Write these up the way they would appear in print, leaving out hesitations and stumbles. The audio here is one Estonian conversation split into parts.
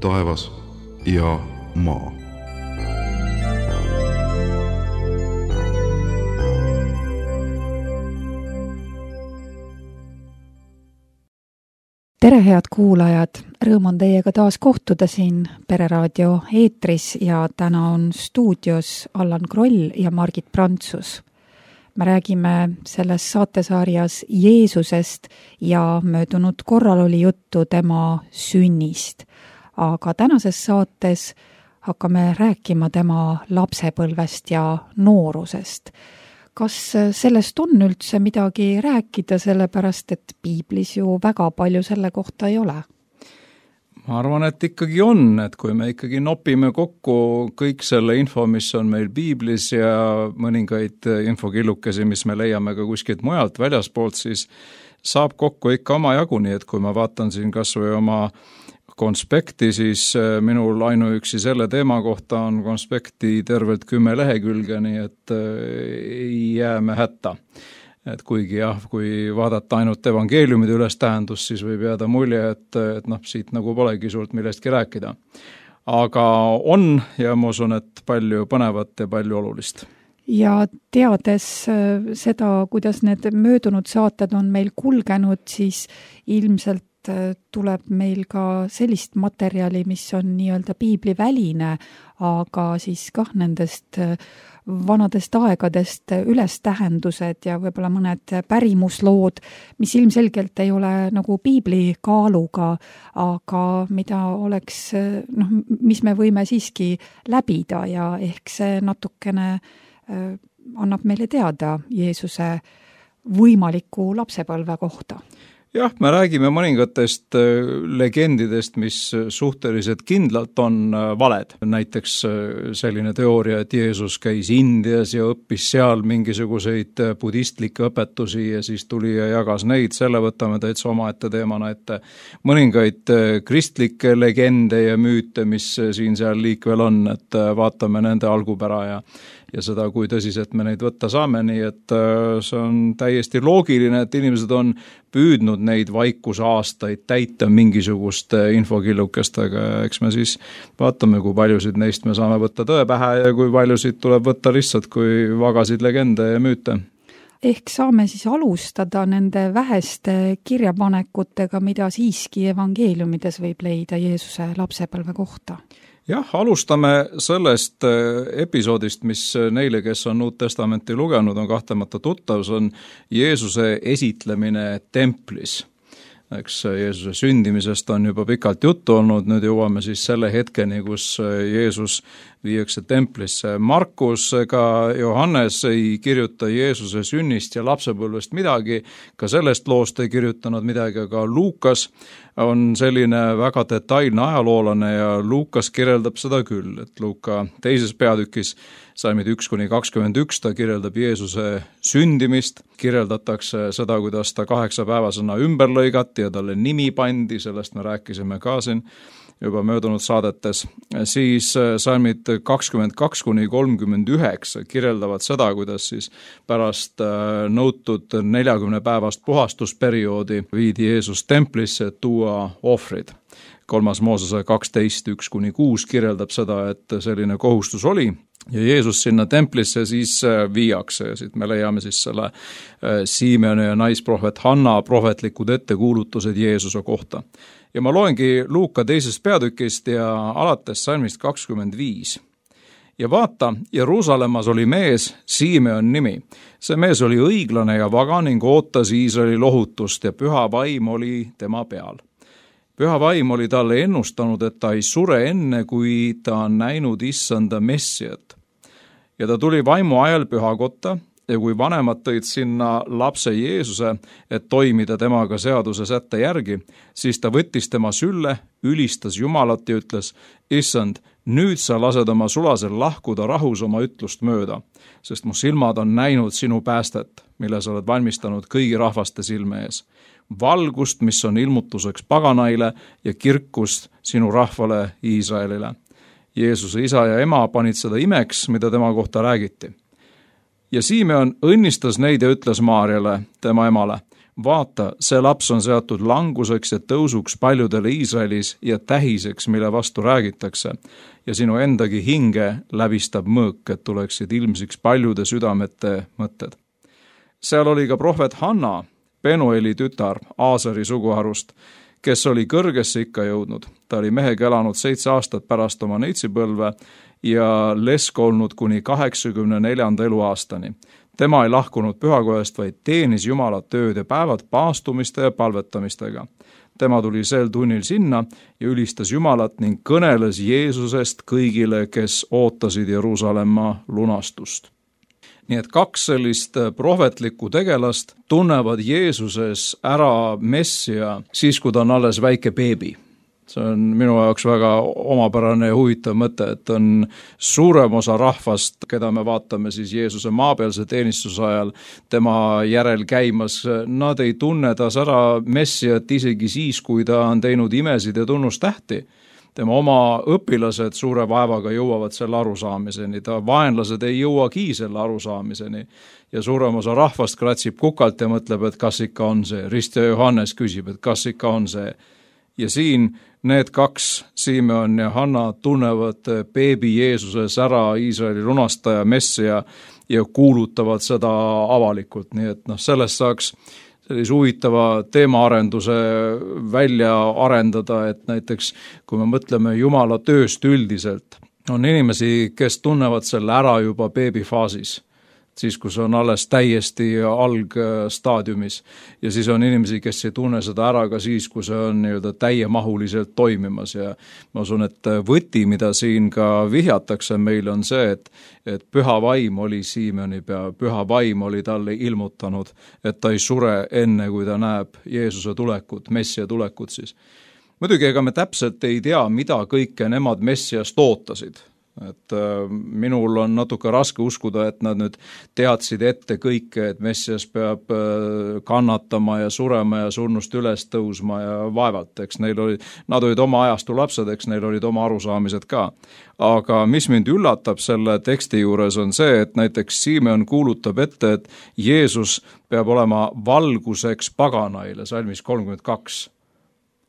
taevas ja maa. Tere, head kuulajad! Rõõm on teiega taas kohtuda siin Pereraadio eetris ja täna on stuudios Allan Kroll ja Margit Prantsus. Me räägime selles saatesarjas Jeesusest ja möödunud korral oli juttu tema sünnist. Aga tänases saates hakkame rääkima tema lapsepõlvest ja noorusest. Kas sellest on üldse midagi rääkida, sellepärast et piiblis ju väga palju selle kohta ei ole? Ma arvan, et ikkagi on, et kui me ikkagi nopime kokku kõik selle info, mis on meil piiblis ja mõningaid infokillukesi, mis me leiame ka kuskilt mujalt väljaspoolt, siis saab kokku ikka oma jagu, nii et kui ma vaatan siin kas või oma konspekti, siis minul ainuüksi selle teema kohta on konspekti tervelt 10 lehekülge, nii et ei jää me hätta. Et kuigi jah, kui vaadata ainult evangeeliumide ülestähendust, siis võib jääda mulje, et siit nagu polegi suurt millestki rääkida. Aga on ja ma usun, et palju põnevat ja palju olulist. Ja teades seda, kuidas need möödunud saated on meil kulgenud, siis ilmselt tuleb meil ka sellist materjali, mis on nii-öelda piibliväline, aga siis kah nendest vanadest aegadest ülestähendused ja võib-olla mõned pärimuslood, mis ilmselgelt ei ole nagu piibli kaaluga, aga mida oleks, mis me võime siiski läbida ja ehk see natukene annab meile teada Jeesuse võimaliku lapsepõlve kohta. Jah, me räägime mõningatest legendidest, mis suhteliselt kindlalt on valed. Näiteks selline teooria, et Jeesus käis Indias ja õppis seal mingisuguseid budistlikke õpetusi ja siis tuli ja jagas neid, selle võtame täitsa omaette teemana ette. Mõningaid kristlikke legende ja müüte, mis siin-seal liikvel on, et vaatame nende algupära ja seda, kui tõsiselt me neid võtta saame, nii et see on täiesti loogiline, et inimesed on püüdnud neid vaikusaastaid täita mingisuguste infokillukestega ja eks me siis vaatame, kui paljusid neist me saame võtta tõe pähe ja kui paljusid tuleb võtta lihtsalt kui vagasid legende ja müüte. Ehk saame siis alustada nende väheste kirjapanekutega, mida siiski evangeeliumides võib leida Jeesuse lapsepõlve kohta. Jah, alustame sellest episoodist, mis neile, kes on Uut Testamenti lugenud, on kahtlemata tuttav, see on Jeesuse esitlemine templis. Eks Jeesuse sündimisest on juba pikalt juttu olnud, nüüd jõuame siis selle hetkeni, kus Jeesus viiakse templisse. Markus ega Johannes ei kirjuta Jeesuse sünnist ja lapsepõlvest midagi, ka sellest loost ei kirjutanud midagi, aga Luukas on selline väga detailne ajaloolane ja Luukas kirjeldab seda küll, et Luuka 2. peatükis salmid 1-21 ta kirjeldab Jeesuse sündimist, kirjeldatakse seda, kuidas ta 8-päevasena ümber lõigati ja talle nimi pandi, sellest me rääkisime ka siin juba möödunud saadetes, siis salmid 22-39 kirjeldavad seda, kuidas siis pärast nõutud 40 päevast puhastusperioodi viidi Jeesus templisse, et tuua ohvrid. 3. Moosese 12-1-6 kirjeldab seda, et selline kohustus oli ja Jeesus sinna templisse siis viiakse ja siit me leiame siis selle Simeoni ja naisprohvet Hanna prohvetlikud ettekuulutused Jeesuse kohta. Ja ma loengi Luuka 2. peatükist ja alates salmist 25. Ja vaata, Jeruusalemmas oli mees, Simeon nimi. See mees oli õiglane ja vaga ning ootas Iisraeli lohutust ja püha vaim oli tema peal. Püha vaim oli talle ennustanud, et ta ei sure enne, kui ta on näinud issanda messiat. Ja ta tuli vaimu ajal pühakotta ja kui vanemad tõid sinna lapse Jeesuse, et toimida temaga seaduse sätte järgi, siis ta võttis tema sülle, ülistas Jumalat ja ütles, issand, nüüd sa lased oma sulasel lahkuda rahus oma ütlust mööda, sest mu silmad on näinud sinu päästet, mille sa oled valmistanud kõigi rahvaste silme ees. Valgust, mis on ilmutuseks paganaile ja kirkust sinu rahvale Iisraelile. Jeesuse isa ja ema panid seda imeks, mida tema kohta räägiti. Ja Simeon õnnistas neid ja ütles Maarjale, tema emale, vaata, see laps on seatud languseks ja tõusuks paljudele Iisraelis ja tähiseks, mille vastu räägitakse. Ja sinu endagi hinge läbistab mõõk, et tuleksid ilmsiks paljude südamete mõtted. Seal oli ka prohvet Hanna, Penueli tütar Aaseri suguharust, kes oli kõrgesse ikka jõudnud. Ta oli mehega elanud 7 aastat pärast oma neitsipõlve ja lesk olnud kuni 84. eluaastani. Tema ei lahkunud pühakojast, vaid teenis Jumalat ööd ja päevad paastumiste ja palvetamistega. Tema tuli sel tunnil sinna ja ülistas Jumalat ning kõneles Jeesusest kõigile, kes ootasid Jeruusalemma lunastust. Nii et 2 sellist prohvetlikku tegelast tunnevad Jeesuses ära Messia siis, kui ta on alles väike beebi. See on minu jaoks väga omapärane ja huvitav mõte, et on suurem osa rahvast, keda me vaatame siis Jeesuse maapealse teenistuse ajal, tema järel käimas, nad ei tunne tas ära Messiat isegi siis, kui ta on teinud imesid ja tunnustähti. Tema oma õpilased suure vaevaga jõuavad selle arusaamiseni, ta vaenlased ei jõuagi selle arusaamiseni ja suurem osa rahvast kratsib kukalt ja mõtleb, et kas ikka on see. Ristja Johannes küsib, et kas ikka on see. Ja siin need 2, Simeon ja Hanna, tunnevad beebi Jeesuses ära Iisraeli lunastaja Messia ja kuulutavad seda avalikult, nii et sellest saaks sellise huvitava teemaarenduse välja arendada, et näiteks kui me mõtleme Jumala tööst üldiselt, on inimesi, kes tunnevad selle ära juba beebifaasis, siis kus on alles täiesti algstaadiumis ja siis on inimesi, kes ei tunne seda ära ka siis, kui see on täiemahuliselt toimimas ja ma usun, et võti, mida siin ka vihjatakse meile on see, et püha vaim oli Siimeni pea, püha vaim oli talle ilmutanud, et ta ei sure enne, kui ta näeb Jeesuse tulekut, Messia tulekut siis. Muidugi, ega me täpselt ei tea, mida kõike nemad Messiast ootasid. Et minul on natuke raske uskuda, et nad nüüd teadsid ette kõike, et Messias peab kannatama ja surema ja surnust üles tõusma ja vaevalt, eks nad olid oma ajastu lapsed, eks neil olid oma arusaamised ka. Aga mis mind üllatab selle teksti juures on see, et näiteks Simeon kuulutab ette, et Jeesus peab olema valguseks paganaile, salmis 32,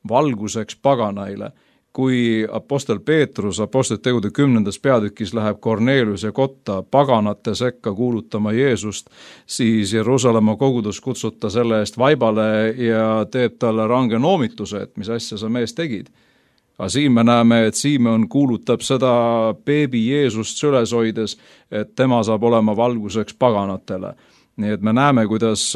valguseks paganaile. Kui apostel Peetrus apostlite tegude 10. peatükis läheb Korneliuse kotta paganate sekka kuulutama Jeesust, siis Jeruusalemma kogudus kutsuta selle eest vaibale ja teeb talle range noomituse, et mis asja sa mees tegid. Aga siin me näeme, et Simeon kuulutab seda beebi Jeesust süles hoides, et tema saab olema valguseks paganatele. Nii et me näeme, kuidas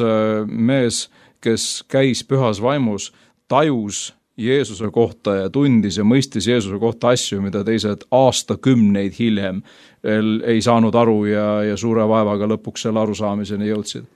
mees, kes käis pühas vaimus, tajus Jeesuse kohta ja tundis ja mõistis Jeesuse kohta asju, mida teised aastakümneid hiljem ei saanud aru ja suure vaevaga lõpuks selle arusaamiseni jõudsid.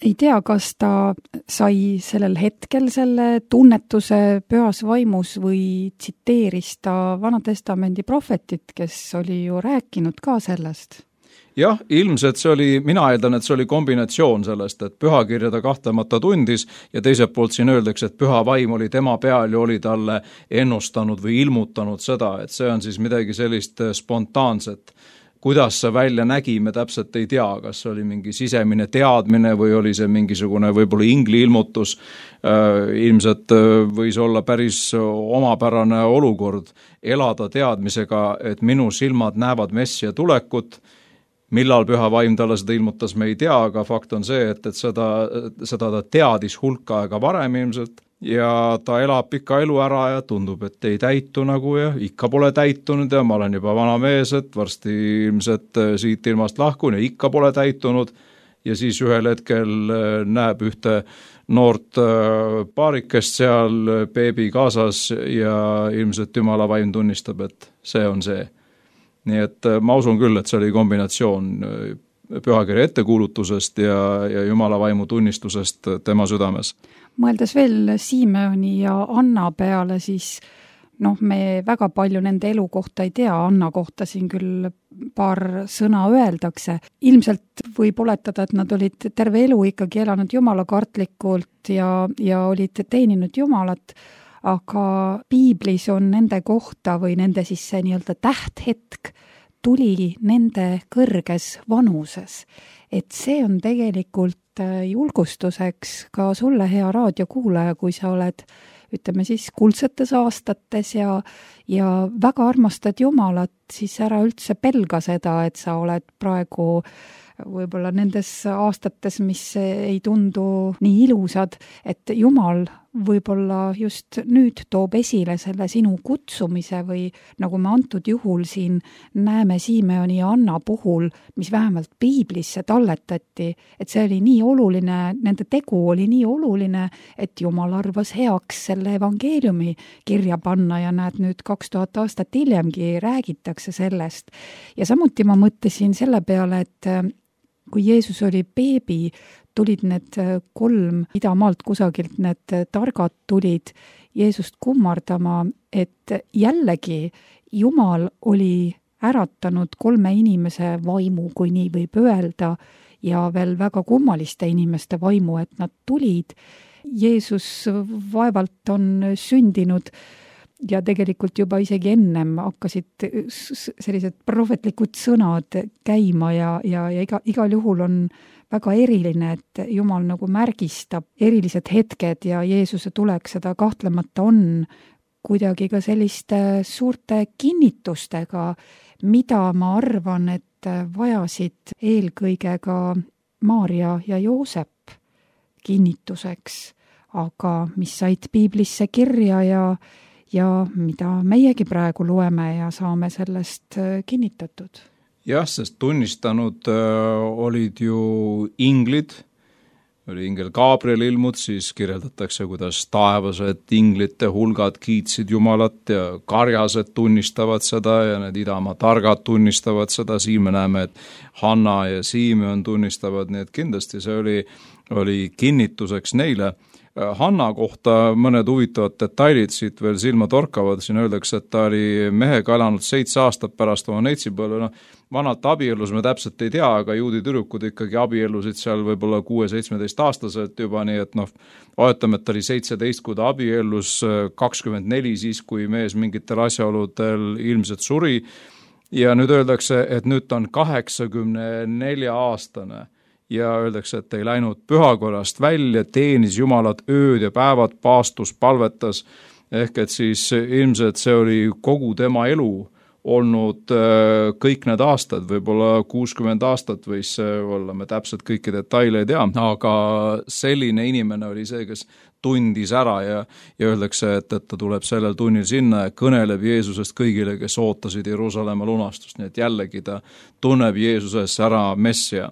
Ei tea, kas ta sai sellel hetkel selle tunnetuse pühas vaimus või tsiteeris ta Vana Testamendi prohvetit, kes oli ju rääkinud ka sellest? Jah, ilmselt see oli, mina eeldan, et see oli kombinatsioon sellest, et pühakirja ta kahtlemata tundis ja teiselt poolt siin öeldakse, et püha vaim oli tema peal ja oli talle ennustanud või ilmutanud seda, et see on siis midagi sellist spontaanset. Kuidas see välja nägi, me täpselt ei tea, kas see oli mingi sisemine teadmine või oli see mingisugune võib-olla ingli ilmutus. Ilmselt võis olla päris omapärane olukord elada teadmisega, et minu silmad näevad Messia tulekut. Millal püha vaim talle seda ilmutas, me ei tea, aga fakt on see, et seda ta teadis hulka aega varem ilmselt ja ta elab pika elu ära ja tundub, et ei täitu nagu ja ikka pole täitunud ja ma olen juba vana mees, et varsti ilmselt siit ilmast lahkun ja ikka pole täitunud ja siis ühel hetkel näeb ühte noort paarikest seal beebi kaasas ja ilmselt Jumala vaim tunnistab, et see on see. Nii et ma usun küll, et see oli kombinatsioon pühakirja ettekuulutusest ja Jumala vaimu tunnistusest tema südames. Mõeldes veel Simeoni ja Anna peale, siis me väga palju nende elu kohta ei tea, Anna kohta siin küll paar sõna öeldakse. Ilmselt võib oletada, et nad olid terve elu ikkagi elanud Jumala kartlikult ja olid teeninud Jumalat, aga piiblis on nende kohta või nende siis see nii-öelda tähthetk tuli nende kõrges vanuses. Et see on tegelikult julgustuseks ka sulle, hea raadiokuulaja, kui sa oled, ütleme siis, kuldsetes aastates ja väga armastad Jumalat, siis ära üldse pelga seda, et sa oled praegu võib-olla nendes aastates, mis ei tundu nii ilusad, et Jumal võib-olla just nüüd toob esile selle sinu kutsumise või nagu me antud juhul siin näeme Simeoni ja Anna puhul, mis vähemalt piiblisse talletati, et see oli nii oluline, nende tegu oli nii oluline, et Jumal arvas heaks selle evangeeliumi kirja panna ja näed, nüüd 2000 aastat hiljemgi räägitakse sellest. Ja samuti ma mõtlesin selle peale, et kui Jeesus oli beebi, tulid need 3 idamaalt kusagilt, need targad tulid Jeesust kummardama, et jällegi Jumal oli äratanud 3 inimese vaimu, kui nii võib öelda, ja veel väga kummaliste inimeste vaimu, et nad tulid. Jeesus vaevalt on sündinud ja tegelikult juba isegi ennem hakkasid sellised prohvetlikud sõnad käima ja igal juhul on väga eriline, et Jumal nagu märgistab erilised hetked ja Jeesuse tulek seda kahtlemata on kuidagi ka selliste suurte kinnitustega, mida ma arvan, et vajasid eelkõige ka Maarja ja Joosep kinnituseks, aga mis said piiblisse kirja ja mida meiegi praegu loeme ja saame sellest kinnitatud. Jah, sest tunnistanud olid ju inglid, oli ingel Gabriel ilmud, siis kirjeldatakse, kuidas taevased inglite hulgad kiitsid Jumalat ja karjased tunnistavad seda ja need idamaa targad tunnistavad seda, siin me näeme, et Hanna ja Simeon tunnistavad, nii et kindlasti see oli kinnituseks neile. Hanna kohta mõned huvitavad detailid siit veel silma torkavad, siin öeldakse, et ta oli mehega elanud 7 aastat pärast oma neitsipõlve, vanalt abiellus me täpselt ei tea, aga juudi tüdrukud ikkagi abiellusid seal võib-olla 6-17 aastaselt juba, nii et oletame, et ta oli 17, kui ta abiellus, 24 siis, kui mees mingitel asjaoludel ilmselt suri ja nüüd öeldakse, et nüüd ta on 84-aastane. Ja öeldakse, et ei läinud pühakorrast välja, teenis Jumalat ööd ja päevad, paastus, palvetas, ehk et siis ilmselt see oli kogu tema elu olnud kõik need aastad, võib-olla 60 aastat võis olla, me täpselt kõiki detaile ei tea, aga selline inimene oli see, kes tundis ära ja öeldakse, et ta tuleb sellel tunnil sinna ja kõneleb Jeesusest kõigile, kes ootasid Jeruusalemma lunastust, nii et jällegi ta tunneb Jeesusest ära Messia.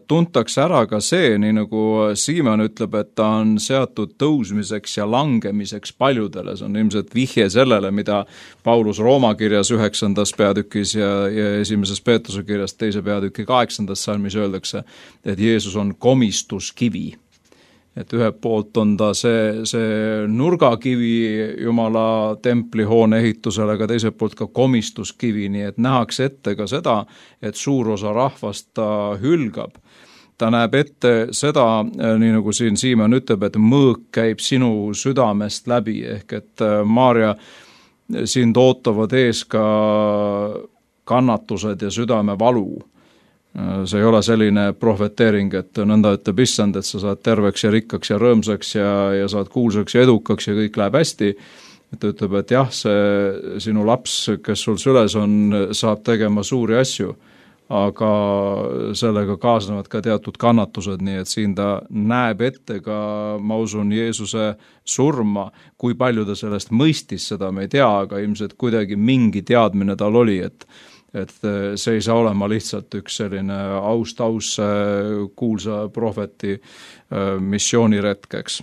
Tuntakse ära ka see, nii nagu Simeon ütleb, et ta on seatud tõusmiseks ja langemiseks paljudele, see on ilmselt vihje sellele, mida Paulus Rooma kirjas 9. peatükis ja 1. Peetruse kirjas 2. peatüki 8. salmis öeldakse, et Jeesus on komistuskivi. Et ühelt poolt on ta see nurgakivi Jumala templihoone ehitusele, aga teiselt poolt ka komistuskivi, nii et nähakse ette ka seda, et suur osa rahvast ta hülgab. Ta näeb ette seda, nii nagu siin Simeon ütleb, et mõõk käib sinu südamest läbi, ehk et Maarja sind ootavad ees ka kannatused ja südamevalu. See ei ole selline prohveteering, et nõnda ütleb issand, et sa saad terveks ja rikkaks ja rõõmsaks ja saad kuulsaks ja edukaks ja kõik läheb hästi. Ta ütleb, et jah, see sinu laps, kes sul süles on, saab tegema suuri asju, aga sellega kaasnevad ka teatud kannatused, nii et siin ta näeb ette ka, ma usun, Jeesuse surma, kui palju ta sellest mõistis, seda me ei tea, aga ilmselt kuidagi mingi teadmine tal oli, et see ei saa olema lihtsalt üks selline aus kuulsa prohveti missiooniretkeks.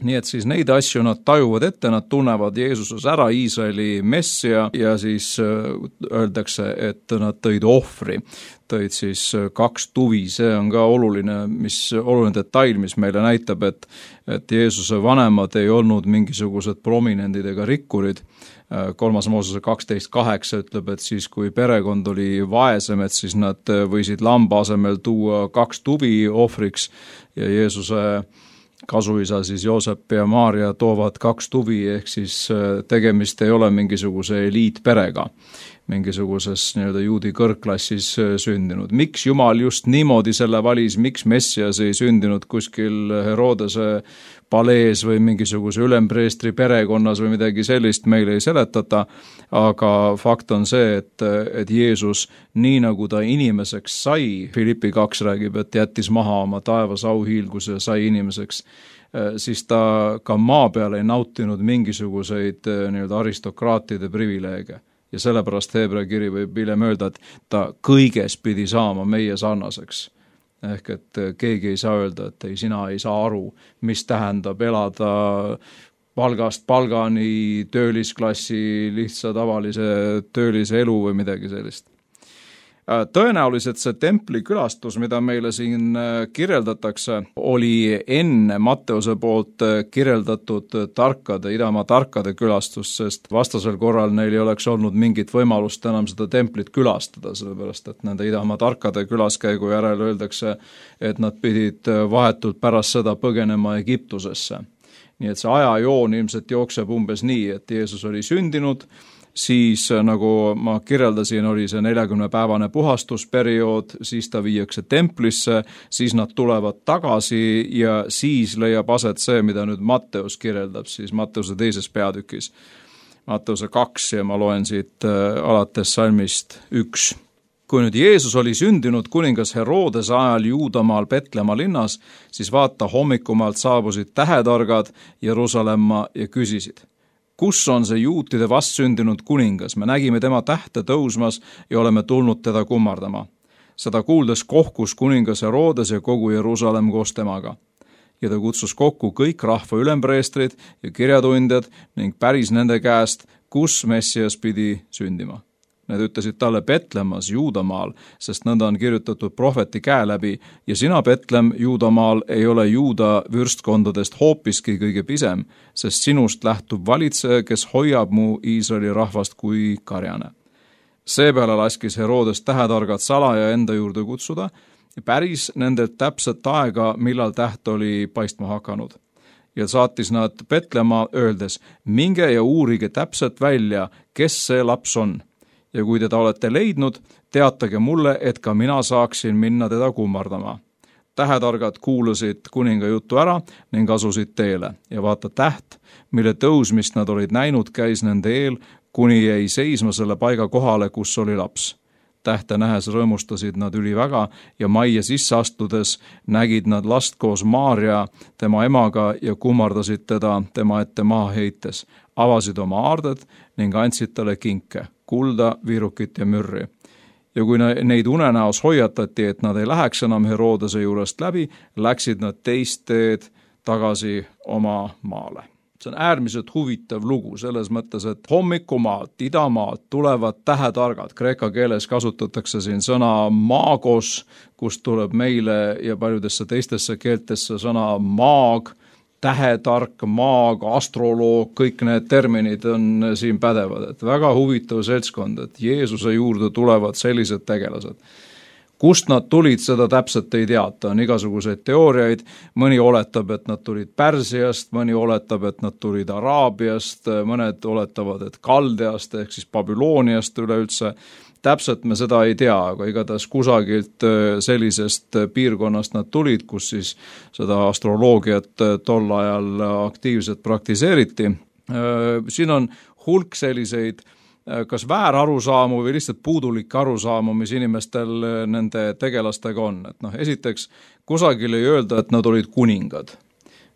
Nii et siis neid asju nad tajuvad ette, nad tunnevad Jeesuses ära Iisraeli messia ja siis öeldakse, et nad tõid ohvri. Tõid siis 2 tuvi, see on ka oluline detail, mis meile näitab, et Jeesuse vanemad ei olnud mingisugused prominendid ega rikkurid. 3. Moosese 12.8 ütleb, et siis kui perekond oli vaesem, et siis nad võisid lamba asemel tuua 2 tuvi ohvriks ja Jeesuse kasuisa siis Joosep ja Maarja toovad 2 tuvi, ehk siis tegemist ei ole mingisuguse eliitperega, mingisuguses nii-öelda juudi kõrgklassis sündinud. Miks Jumal just niimoodi selle valis, miks Messias ei sündinud kuskil Herodese palees või mingisuguse ülempreestri perekonnas või midagi sellist, meile ei seletata, aga fakt on see, et Jeesus, nii nagu ta inimeseks sai, Filippi 2 räägib, et jättis maha oma taevas auhiilguse ja sai inimeseks, siis ta ka maa peal ei nautinud mingisuguseid nii-öelda aristokraatide privileege. Ja sellepärast Heebrea kiri võib hiljem öelda, et ta kõiges pidi saama meie sarnaseks. Ehk et keegi ei saa öelda, et ei, sina ei saa aru, mis tähendab elada palgast palgani, töölisklassi, lihtsa tavalise töölise elu või midagi sellist. Tõenäoliselt see templi külastus, mida meile siin kirjeldatakse, oli enne Matteuse poolt kirjeldatud idamaa tarkade külastus, sest vastasel korral neil ei oleks olnud mingit võimalust enam seda templit külastada, sellepärast et nende idamaa tarkade külaskäigu järel öeldakse, et nad pidid vahetult pärast seda põgenema Egiptusesse. Nii et see ajajoon ilmselt jookseb umbes nii, et Jeesus oli sündinud, siis nagu ma kirjeldasin, oli see 40-päevane puhastusperiood, siis ta viiakse templisse, siis nad tulevad tagasi ja siis leiab aset see, mida nüüd Matteus kirjeldab, siis Matteuse 2. peatükis. Matteuse 2 ja ma loen siit alates salmist 1. Kui nüüd Jeesus oli sündinud kuningas Herodese ajal Juudamaal Petlemma linnas, siis vaata hommikumaalt saabusid tähetargad Jeruusalemma ja küsisid: kus on see juutide vastsündinud kuningas? Me nägime tema tähte tõusmas ja oleme tulnud teda kummardama. Seda kuuldes kohkus kuningas Herodes ja kogu Jeruusalemm koos temaga. Ja ta kutsus kokku kõik rahva ülempreestrid ja kirjatundjad ning päris nende käest, kus Messias pidi sündima. Need ütlesid talle: Petlemmas, Juudamaal, sest nõnda on kirjutatud prohveti käe läbi ja sina, Petlem, Juudamaal, ei ole Juuda vürstkondadest hoopiski kõige pisem, sest sinust lähtub valitseja, kes hoiab mu Iisraeli rahvast kui karjane. Seepeale laskis Herodes tähetargad salaja enda juurde kutsuda ja päris nendelt täpset aega, millal täht oli paistma hakanud. Ja saatis nad Petlemma öeldes: minge ja uurige täpselt välja, kes see laps on. Ja kui teda olete leidnud, teatage mulle, et ka mina saaksin minna teda kummardama. Tähetargad kuulasid kuninga jutu ära ning asusid teele ja vaata täht, mille tõusmist nad olid näinud, käis nende eel, kuni jäi seisma selle paiga kohale, kus oli laps. Tähte nähes rõõmustasid nad üliväga ja majja sisse astudes nägid nad last koos Maarja, tema emaga, ja kummardasid teda tema ette maha heites, avasid oma aarded ning andsid talle kinke, kulda, viirukit ja mürri. Ja kui neid unenäos hoiatati, et nad ei läheks enam Herodese juurest läbi, läksid nad teist teed tagasi oma maale. See on äärmiselt huvitav lugu selles mõttes, et hommikumaalt, idamaalt tulevad tähetargad. Kreeka keeles kasutatakse siin sõna maagos, kust tuleb meile ja paljudesse teistesse keeltesse sõna maag, tähetark, maag, astroloog, kõik need terminid on siin pädevad. Et väga huvitav seltskond, et Jeesuse juurde tulevad sellised tegelased. Kust nad tulid, seda täpselt ei teata, on igasuguseid teooriaid, mõni oletab, et nad tulid Pärsiast, mõni oletab, et nad tulid Araabiast, mõned oletavad, et Kaldeast ehk siis Babyloniast üleüldse. Täpselt me seda ei tea, aga igatahes kusagilt sellisest piirkonnast nad tulid, kus siis seda astroloogiat tol ajal aktiivselt praktiseeriti. Siin on hulk selliseid kas väärarusaamu või lihtsalt puudulik arusaamu, mis inimestel nende tegelastega on. Et esiteks, kusagil ei öelda, et nad olid kuningad.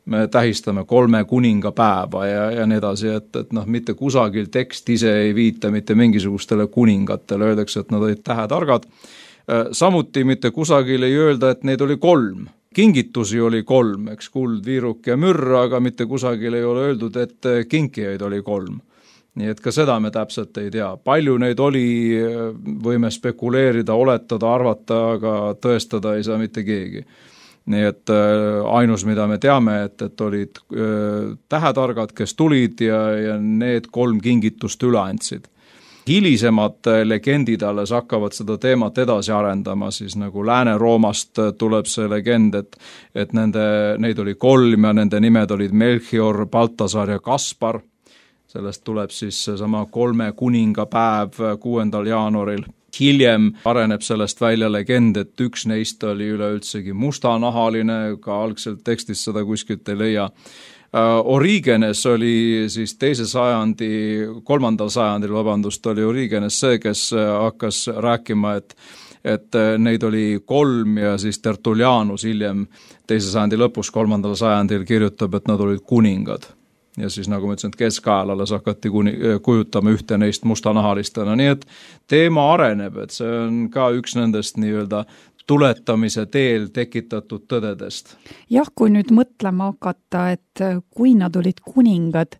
Me tähistame 3 kuningapäeva ja nii edasi, et mitte kusagil tekst ise ei viita mitte mingisugustele kuningatele, öeldakse, et nad olid tähetargad. Samuti mitte kusagil ei öelda, et neid oli 3. Kingitusi oli 3, eks, kuld, viiruk ja mürr, aga mitte kusagil ei ole öeldud, et kinkijaid oli 3. Nii et ka seda me täpselt ei tea. Palju neid oli, võime spekuleerida, oletada, arvata, aga tõestada ei saa mitte keegi. Nii et ainus, mida me teame, et olid tähetargad, kes tulid ja need 3 kingitust üle andsid. hilisemad legendid alles hakkavad seda teemat edasi arendama, siis nagu Lääne-Roomast tuleb see legend, et neid oli 3 ja nende nimed olid Melchior, Baltasar ja Kaspar. Sellest tuleb siis sama 3 kuningapäev 6. jaanuaril. Hiljem areneb sellest välja legend, et üks neist oli üleüldsegi mustanahaline, ka algselt tekstis seda kuskilt ei leia. Origenes oli siis 3. sajandil, oli Origenes see, kes hakkas rääkima, et neid oli 3 ja siis Tertullianus hiljem 2. sajandi lõpus 3. sajandil kirjutab, et nad olid kuningad. Ja siis nagu ma ütlesin, et keskajal alles hakati kujutama ühte neist mustanahalistena, nii et teema areneb, et see on ka üks nendest nii-öelda tuletamise teel tekitatud tõdedest. Jah, kui nüüd mõtlema hakata, et kui nad olid kuningad,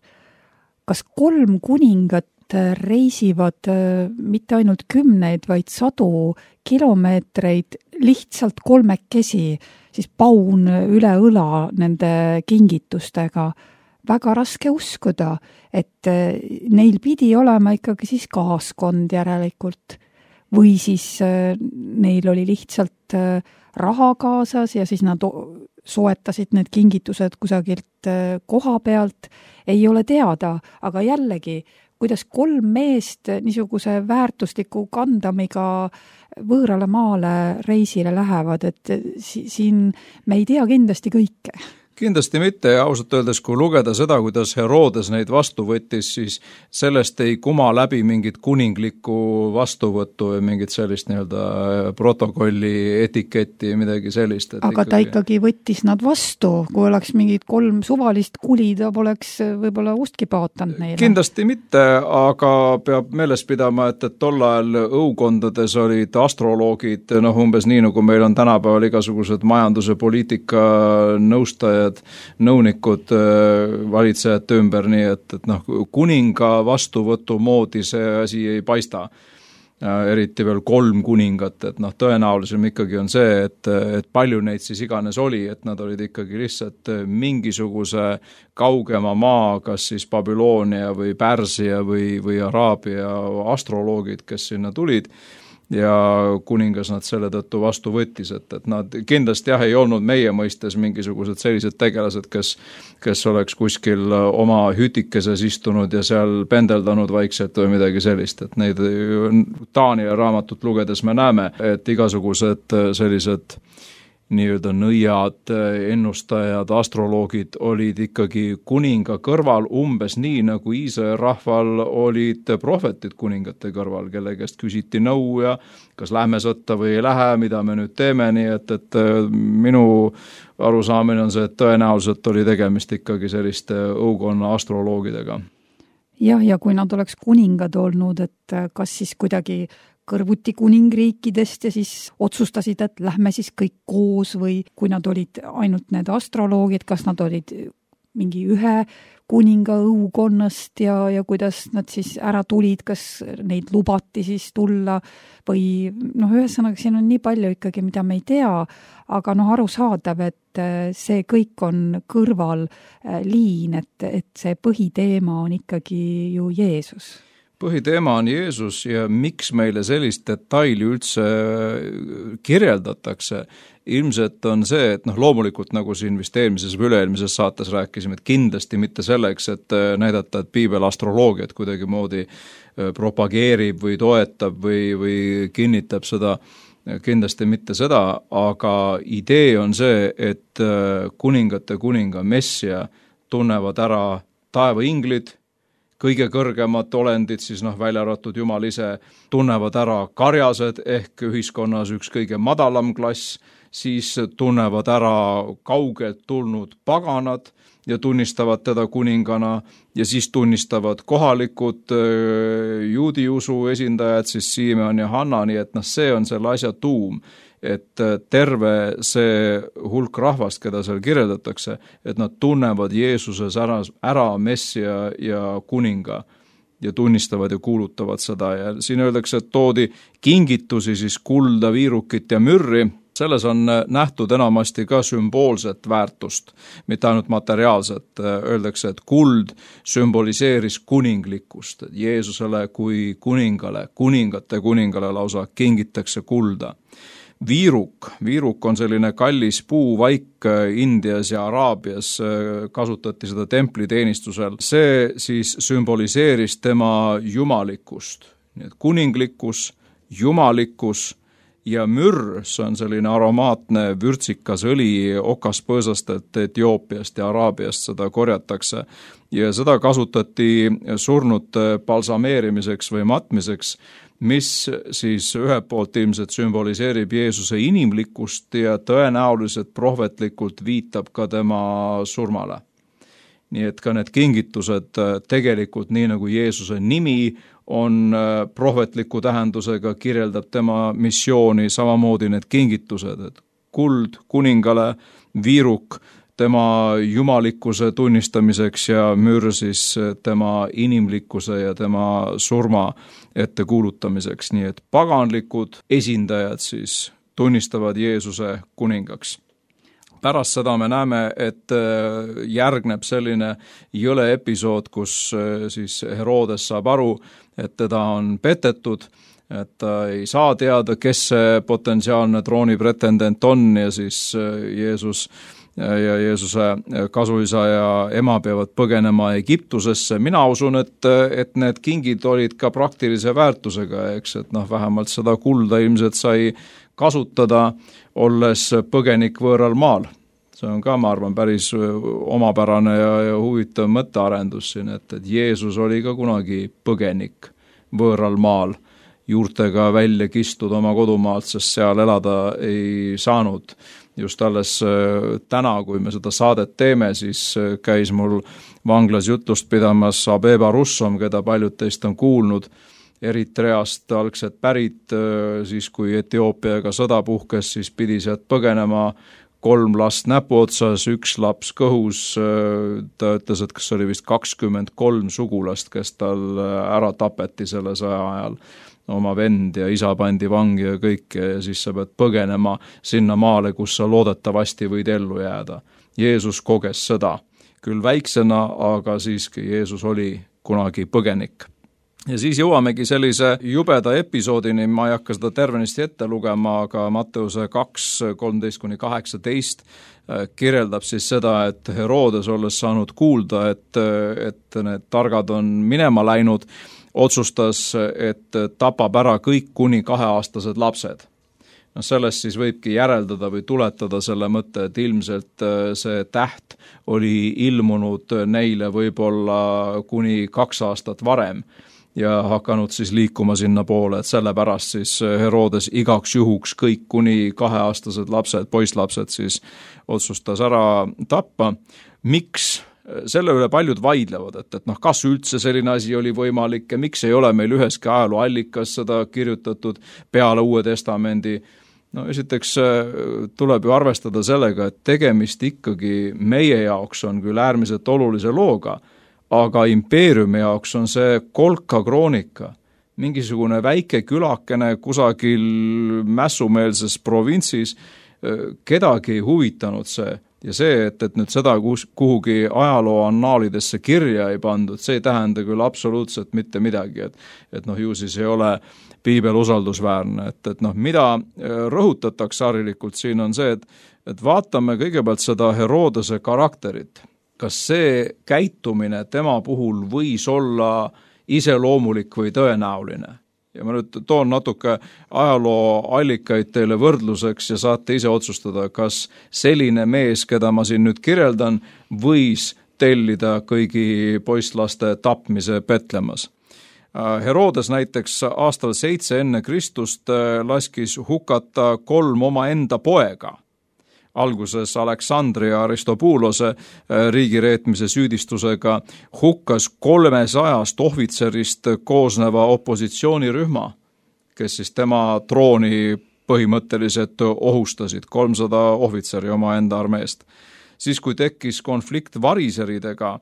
kas 3 kuningat reisivad mitte ainult 10, vaid 100 kilomeetreid lihtsalt 3-kesi, siis paun üle õla nende kingitustega. Väga raske uskuda, et neil pidi olema ikkagi siis kaaskond järelikult või siis neil oli lihtsalt raha kaasas ja siis nad soetasid need kingitused kusagilt koha pealt, ei ole teada, aga jällegi, kuidas 3 meest niisuguse väärtusliku kandamiga võõrale maale reisile lähevad, et siin me ei tea kindlasti kõike. Kindlasti mitte ja ausalt öeldes, kui lugeda seda, kuidas Herodes neid vastu võttis, siis sellest ei kuma läbi mingit kuninglikku vastuvõttu või mingit sellist nii-öelda protokolli etiketti, midagi sellist. Aga ta ikkagi võttis nad vastu, kui oleks mingid 3 suvalist kuli, ta poleks võib-olla ustki paotanud neile. Kindlasti mitte, aga peab meeles pidama, et tol ajal õukondades olid astroloogid, umbes nii, nagu meil on tänapäeval igasugused majanduse poliitika nõustajad, nõunikud valitsejate ümber, nii et kuninga vastuvõtu moodi see asi ei paista. Eriti veel 3 kuningat, et tõenäolisem ikkagi on see, et palju neid siis iganes oli, et nad olid ikkagi lihtsalt mingisuguse kaugema maa, kas siis Babyloonia või Pärsia või Araabia astroloogid, kes sinna tulid ja kuningas nad selle tõttu vastu võttis, et nad kindlasti ei olnud meie mõistes mingisugused sellised tegelased, kes oleks kuskil oma hütikeses istunud ja seal pendeldanud vaikselt või midagi sellist, et neid Taania raamatut lugedes me näeme, et igasugused sellised nii-öelda nõiad, ennustajad, astroloogid olid ikkagi kuninga kõrval umbes nii, nagu Iisraeli rahval olid prohvetid kuningate kõrval, kelle käest küsiti nõu ja kas lähme sõtta või ei lähe, mida me nüüd teeme, nii et minu arusaamine on see, et tõenäoliselt oli tegemist ikkagi selliste õukonna astroloogidega. Jah, ja kui nad oleks kuningad olnud, et kas siis kuidagi kõrvuti kuningriikidest ja siis otsustasid, et lähme siis kõik koos või kui nad olid ainult need astroloogid, kas nad olid mingi ühe kuninga õukonnast ja kuidas nad siis ära tulid, kas neid lubati siis tulla või ühesõnaga siin on nii palju ikkagi, mida me ei tea, aga arusaadav, et see kõik on kõrvalliin, et see põhiteema on ikkagi ju Jeesus. Põhiteema on Jeesus ja miks meile sellist detaili üldse kirjeldatakse, ilmselt on see, et loomulikult nagu siin vist eelmises või üle-eelmises saates rääkisime, et kindlasti mitte selleks, et näidata, et piibel astroloogiat kuidagimoodi propageerib või toetab või kinnitab seda, kindlasti mitte seda, aga idee on see, et kuningate kuninga messia tunnevad ära taevainglid, kõige kõrgemad olendid, siis välja arvatud Jumal ise, tunnevad ära karjased ehk ühiskonnas üks kõige madalam klass, siis tunnevad ära kaugelt tulnud paganad ja tunnistavad teda kuningana ja siis tunnistavad kohalikud juudi usu esindajad, siis Simeon ja Hanna, nii et see on selle asja tuum. Et terve see hulk rahvast, keda seal kirjeldatakse, et nad tunnevad Jeesuses ära messia ja kuninga ja tunnistavad ja kuulutavad seda ja siin öeldakse, et toodi kingitusi siis kulda, viirukit ja mürri, selles on nähtud enamasti ka sümboolset väärtust, mitte ainult materiaalset. Öeldakse, et kuld sümboliseeris kuninglikkust, et Jeesusele kui kuningale, kuningate kuningale lausa kingitakse kulda. Viiruk on selline kallis puuvaik Indias ja Araabias, kasutati seda templiteenistusel. See siis sümboliseeris tema jumalikkust, nii et kuninglikkus, jumalikkus ja mürr, see on selline aromaatne vürtsikas õli okaspõõsastelt Etioopiast ja Araabiast, seda korjatakse ja seda kasutati surnute balsameerimiseks või matmiseks, mis siis ühelt poolt ilmselt sümboliseerib Jeesuse inimlikkust ja tõenäoliselt prohvetlikult viitab ka tema surmale. Nii et ka need kingitused tegelikult, nii nagu Jeesuse nimi on prohvetliku tähendusega, kirjeldab tema missiooni, samamoodi need kingitused, et kuld kuningale, viiruk tema jumalikkuse tunnistamiseks ja mürr siis tema inimlikkuse ja tema surma ettekuulutamiseks, nii et paganlikud esindajad siis tunnistavad Jeesuse kuningaks. Pärast seda me näeme, et järgneb selline jõle episood, kus siis Herodes saab aru, et teda on petetud, et ta ei saa teada, kes see potentsiaalne troonipretendent on ja siis Jeesuse kasuisa ja ema peavad põgenema Egiptusesse. Mina usun, et need kingid olid ka praktilise väärtusega, eks, et vähemalt seda kulda ilmselt sai kasutada, olles põgenik võõral maal. See on ka, ma arvan, päris omapärane ja huvitav mõttearendus siin, et Jeesus oli ka kunagi põgenik võõral maal, juurtega välja kistud oma kodumaalt, sest seal elada ei saanud. Just alles täna, kui me seda saadet teeme, siis käis mul vanglas jutlust pidamas Abeba Russom, keda paljud teist on kuulnud, Eritreast algselt pärit, siis kui Etioopiaga sõda puhkes, siis pidi sealt põgenema 3 last näpu otsas, 1 laps kõhus, ta ütles, et kas oli vist 23 sugulast, kes tal ära tapeti selle sõja ajal, oma vend ja isa pandi vangi ja kõike ja siis sa pead põgenema sinna maale, kus sa loodetavasti võid ellu jääda. Jeesus koges sõda, küll väiksena, aga siiski Jeesus oli kunagi põgenik. Ja siis jõuamegi sellise jubeda episoodini, ma ei hakka seda tervenisti ette lugema, aga Matteuse 2:13-18 kirjeldab siis seda, et Herodes olles saanud kuulda, et need targad on minema läinud, otsustas, et tapab ära kõik kuni 2-aastased lapsed. Sellest siis võibki järeldada või tuletada selle mõtte, et ilmselt see täht oli ilmunud neile võib-olla kuni 2 aastat varem ja hakanud siis liikuma sinna poole, et sellepärast siis Herodes igaks juhuks kõik kuni 2-aastased lapsed, poisslapsed siis otsustas ära tappa. Miks? Selle üle paljud vaidlevad, et kas üldse selline asi oli võimalik ja miks ei ole meil üheski ajalooallikas seda kirjutatud peale Uue Testamendi. Esiteks tuleb ju arvestada sellega, et tegemist ikkagi meie jaoks on küll äärmiselt olulise looga, aga impeeriumi jaoks on see kolka kroonika, mingisugune väike külakene kusagil mässumeelses provintsis, kedagi ei huvitanud see. Ja see, et nüüd seda kuhugi ajaloo annaalidesse kirja ei pandud, see ei tähenda küll absoluutselt mitte midagi, et ju siis ei ole piibel usaldusväärne, et mida rõhutatakse harilikult siin on see, et vaatame kõigepealt seda Herodese karakterit. Kas see käitumine tema puhul võis olla iseloomulik või tõenäoline? Ja ma nüüd toon natuke ajalooallikaid teile võrdluseks ja saate ise otsustada, kas selline mees, keda ma siin nüüd kirjeldan, võis tellida kõigi poisslaste tapmise Petlemas. Herodes näiteks aastal 7 enne Kristust laskis hukata 3 omaenda poega. Alguses Aleksandria Aristopuulose riigireetmise süüdistusega hukkas 300 ohvitserist koosneva opositsioonirühma, kes siis tema trooni põhimõtteliselt ohustasid, 300 ohvitseri omaenda armeest. Siis kui tekkis konflikt variseridega,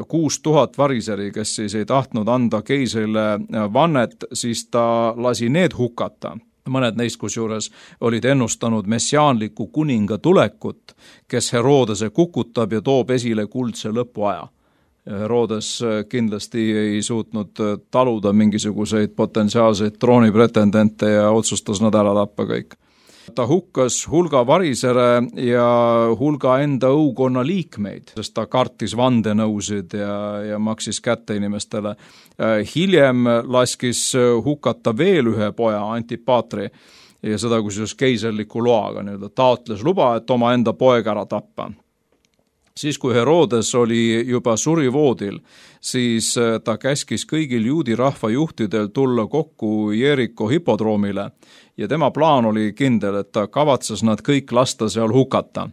6000 variseri, kes siis ei tahtnud anda keisrile vannet, siis ta lasi need hukata. mõned neist kusjuures olid ennustanud messiaanliku kuninga tulekut, kes Herodese kukutab ja toob esile kuldse lõpuaja. Herodes kindlasti ei suutnud taluda mingisuguseid potentsiaalseid troonipretendente ja otsustas nad ära tappa kõik. Ta hukkas hulga varisere ja hulga enda õukonna liikmeid, sest ta kartis vandenõusid ja maksis kätte inimestele. Hiljem laskis hukata veel ühe poja, Antipatri, ja seda kusjuures keiserliku loaga, taotles luba, et oma enda poeg ära tappa. Siis, kui Herodes oli juba surivoodil, siis ta käskis kõigil juudi rahva juhtidel tulla kokku Jeriko hipodroomile ja tema plaan oli kindel, et ta kavatses nad kõik lasta seal hukata.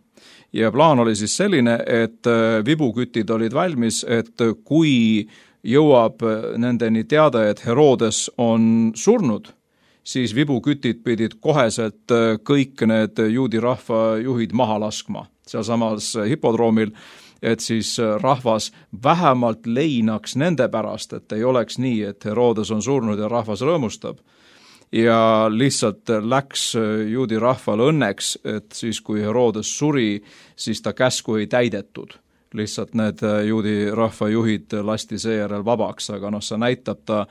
Ja plaan oli siis selline, et vibukütid olid valmis, et kui jõuab nendeni teada, et Herodes on surnud, siis vibukütid pidid koheselt kõik need juudi rahva juhid maha laskma sealsamas hipodroomil, et siis rahvas vähemalt leinaks nende pärast, et ei oleks nii, et Herodes on surnud ja rahvas rõõmustab. Ja lihtsalt läks juudi rahval õnneks, et siis kui Herodes suri, siis ta käsku ei täidetud. Lihtsalt need juudi rahva juhid lasti seejärel vabaks, aga see näitab ta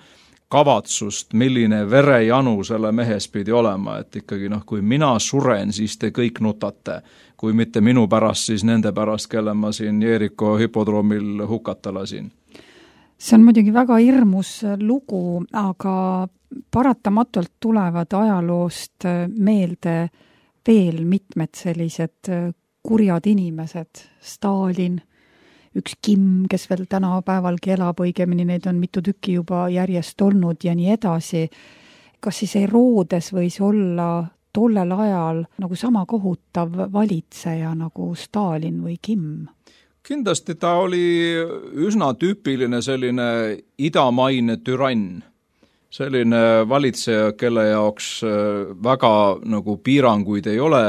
kavatsust, milline verejanu selle mehes pidi olema, et ikkagi kui mina suren, siis te kõik nutate, kui mitte minu pärast, siis nende pärast, kelle ma siin Jeriko hipodroomil hukata lasin. See on muidugi väga hirmus lugu, aga paratamatult tulevad ajaloost meelde veel mitmed sellised kurjad inimesed, Stalin, üks Kim, kes veel tänapäevalgi elab, õigemini neid on mitu tükki juba järjest olnud ja nii edasi. Kas siis Herodes võis olla tollel ajal nagu sama kohutav valitseja nagu Stalin või Kim? Kindlasti ta oli üsna tüüpiline selline idamaine türann. Selline valitseja, kelle jaoks väga nagu piiranguid ei ole,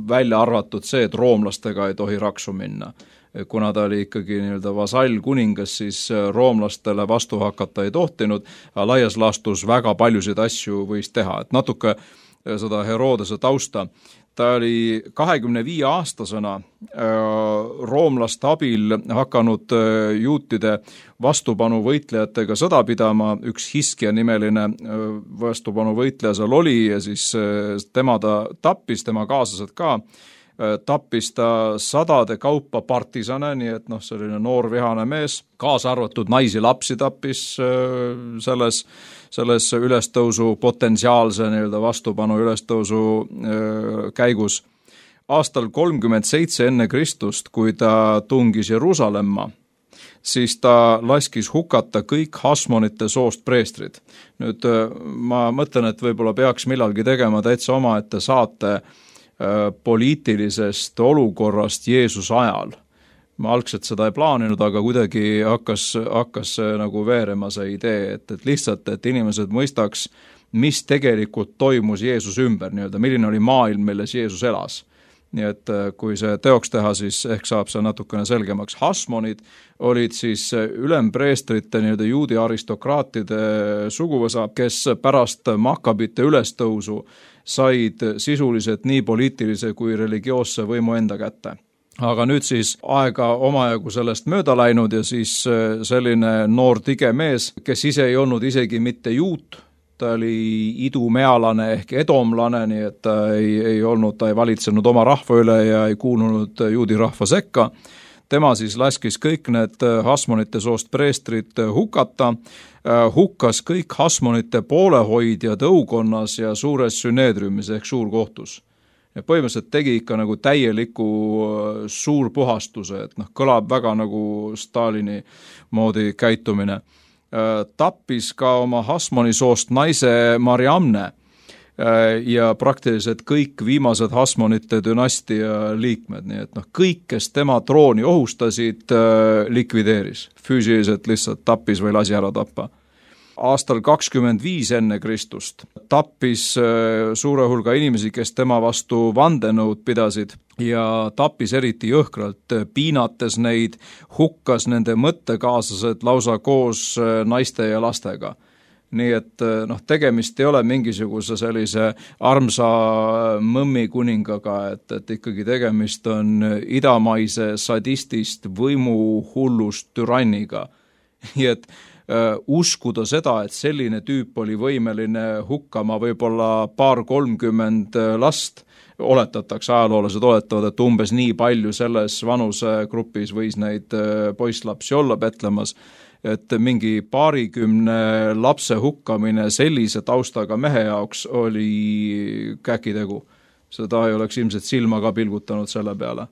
välja arvatud see, et roomlastega ei tohi raksu minna. Kuna ta oli ikkagi vasall kuningas, siis roomlastele vastu hakata ei tohtinud, aga laias laastus väga paljusid asju võis teha. Et natuke seda Herodese tausta. Ta oli 25-aastasena roomlaste abil hakanud juutide vastupanu võitlejatega sõda pidama, üks Hiskia nimeline vastupanu võitleja seal oli ja siis tema ta tappis, tema kaaslased ka, tappis ta sadade kaupa partisane, nii et selline noor vihane mees, kaasa arvatud naisi lapsi tappis selles ülestõusu potentsiaalse vastupanu ülestõusu käigus. Aastal 37 enne Kristust, kui ta tungis Jeruusalemma, siis ta laskis hukata kõik Hasmonite soost preestrid. Nüüd ma mõtlen, et võib-olla peaks millalgi tegema täitsa omaette saate poliitilisest olukorrast Jeesuse ajal. Ma algselt seda ei plaaninud, aga kuidagi hakkas nagu veerema see idee, et lihtsalt, et inimesed mõistaks, mis tegelikult toimus Jeesuse ümber, milline oli maailm, milles Jeesus elas. Nii et kui see teoks teha, siis ehk saab see natukene selgemaks. Hasmonid olid siis ülempreestrite juudi aristokraatide suguvõsa, kes pärast Makkabite ülestõusu said sisuliselt nii poliitilise kui religioosse võimu enda kätte. Aga nüüd siis aega omajagu sellest mööda läinud ja siis selline noor tige mees, kes ise ei olnud isegi mitte juut, ta oli idumealane ehk edomlane, nii et ta ei valitsenud oma rahva üle ja ei kuulunud juudi rahva sekka. Tema siis laskis kõik need Hasmonite soost preestrid hukata, hukkas kõik Hasmonite poolehoidjad õukonnas ja suures süneedriumis ehk suurkohtus. Ja põhimõtteliselt tegi ikka nagu täieliku suurpuhastuse, et kõlab väga nagu Stalini moodi käitumine. Tappis ka oma Hasmoni soost naise Mariamne ja praktiliselt kõik viimased Hasmonite dünastia liikmed, nii et kõik, kes tema trooni ohustasid, likvideeris. Füüsiliselt lihtsalt tappis või lasi ära tappa. Aastal 25 enne Kristust tappis suure hulga inimesi, kes tema vastu vandenõud pidasid ja tappis eriti jõhkralt, piinates neid, hukkas nende mõttekaaslased lausa koos naiste ja lastega. nii et tegemist ei ole mingisuguse sellise armsa mõmmi kuningaga, et ikkagi tegemist on idamaise sadistist võimuhullust türanniga. Nii et uskuda seda, et selline tüüp oli võimeline hukkama võib-olla 2-30 last, oletatakse, ajaloolased oletavad, et umbes nii palju selles vanusegrupis võis neid poisslapsi olla Betlemas, et mingi 20 lapse hukkamine sellise taustaga mehe jaoks oli käkitegu. Seda ei oleks ilmselt silma ka pilgutanud selle peale.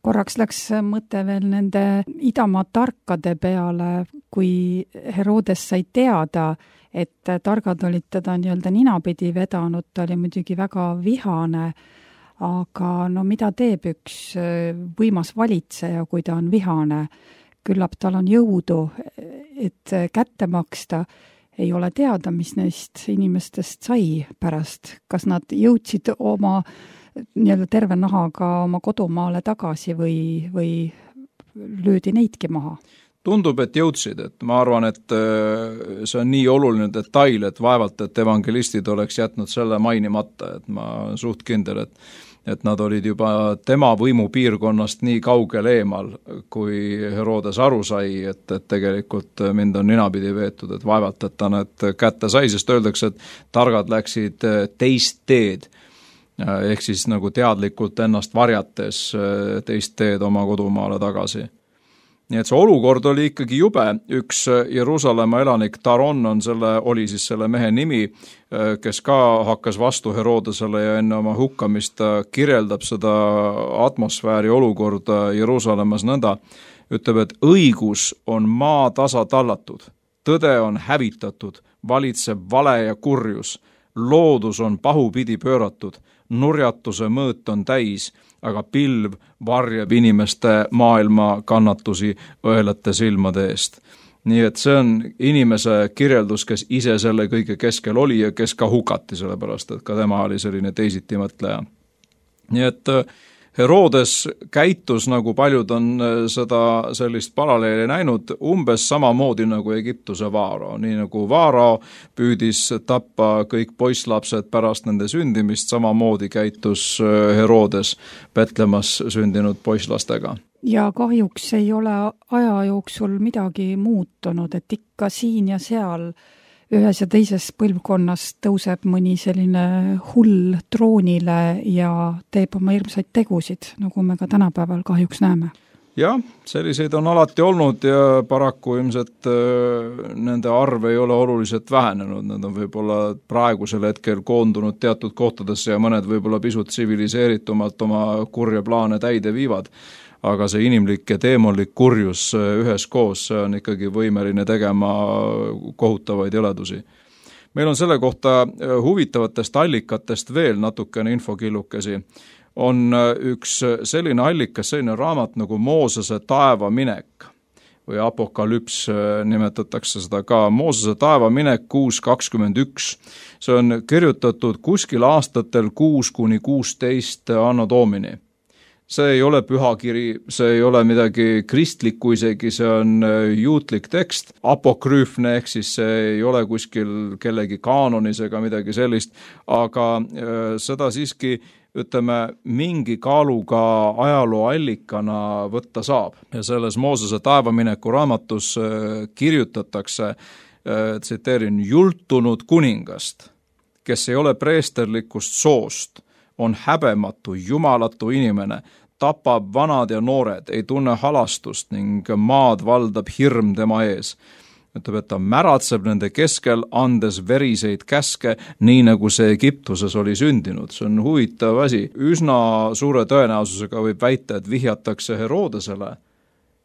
Korraks läks mõte veel nende idamaa tarkade peale, kui Herodes sai teada, et targad olid teda nii-öelda ninapidi vedanud, ta oli muidugi väga vihane, aga mida teeb üks võimas valitseja, kui ta on vihane? Küllap tal on jõudu, et kätte maksta, ei ole teada, mis neist inimestest sai pärast. Kas nad jõudsid oma nii-öelda terve nahaga oma kodumaale tagasi või löödi neidki maha? Tundub, et jõudsid, et ma arvan, et see on nii oluline detail, et vaevalt, et evangelistid oleks jätnud selle mainimata, et ma olen suht kindel, et nad olid juba tema võimupiirkonnast nii kaugel eemal, kui Herodes aru sai, et tegelikult mind on ninapidi veetud, et vaevalt, et ta need kätte sai, sest öeldakse, et targad läksid teist teed, ehk siis nagu teadlikult ennast varjates teist teed oma kodumaale tagasi. Nii et see olukord oli ikkagi jube, üks Jeruusalemma elanik Taron oli siis selle mehe nimi, kes ka hakkas vastu Herodesele ja enne oma hukkamist kirjeldab seda atmosfääri olukorda Jeruusalemmas nõnda, ütleb, et õigus on maa tasa tallatud, tõde on hävitatud, valitseb vale ja kurjus, loodus on pahupidi pööratud, nurjatuse mõõt on täis, aga pilv varjab inimeste maailma kannatusi õelate silmade eest. Nii et see on inimese kirjeldus, kes ise selle kõige keskel oli ja kes ka hukati, sellepärast et ka tema oli selline teisiti mõtleja. Nii et Herodes käitus, nagu paljud on seda sellist paralleeli näinud, umbes samamoodi nagu Egiptuse Vaarao. Nii nagu Vaarao püüdis tappa kõik poisslapsed pärast nende sündimist, samamoodi käitus Herodes Betlemas sündinud poisslastega. Ja kahjuks ei ole aja jooksul midagi muutunud, et ikka siin ja seal ühes ja teises põlvkonnas tõuseb mõni selline hull troonile ja teeb oma hirmsaid tegusid, nagu me ka tänapäeval kahjuks näeme. Jah, selliseid on alati olnud ja paraku ilmselt nende arv ei ole oluliselt vähenenud, need on võib-olla praegusel hetkel koondunud teatud kohtadesse ja mõned võib-olla pisut tsiviliseeritumalt oma kurja plaane täide viivad. Aga see inimlik ja teemonlik kurjus üheskoos on ikkagi võimeline tegema kohutavaid jõledusi. Meil on selle kohta huvitavatest allikatest veel natukene infokillukesi. On üks selline allikas, selline raamat nagu Moosese taevaminek või apokalüps nimetatakse seda ka. Moosese taevaminek 6.21. See on kirjutatud kuskil aastatel 6-16 anno domini. See ei ole pühakiri, see ei ole midagi kristlikku isegi, see on juutlik tekst, apokrüüfne, ehk siis see ei ole kuskil kellegi kaanonis ega midagi sellist, aga seda siiski, ütleme, mingi kaaluga ajalooallikana võtta saab. Ja selles Moosese taevamineku raamatus kirjutatakse, tsiteerin, jultunud kuningast, kes ei ole preesterlikust soost, on häbematu, jumalatu inimene, tapab vanad ja noored, ei tunne halastust ning maad valdab hirm tema ees. Ütleb, et ta märatseb nende keskel, andes veriseid käske, nii nagu see Egiptuses oli sündinud. See on huvitav asi. Üsna suure tõenäosusega võib väita, et vihjatakse Herodesele.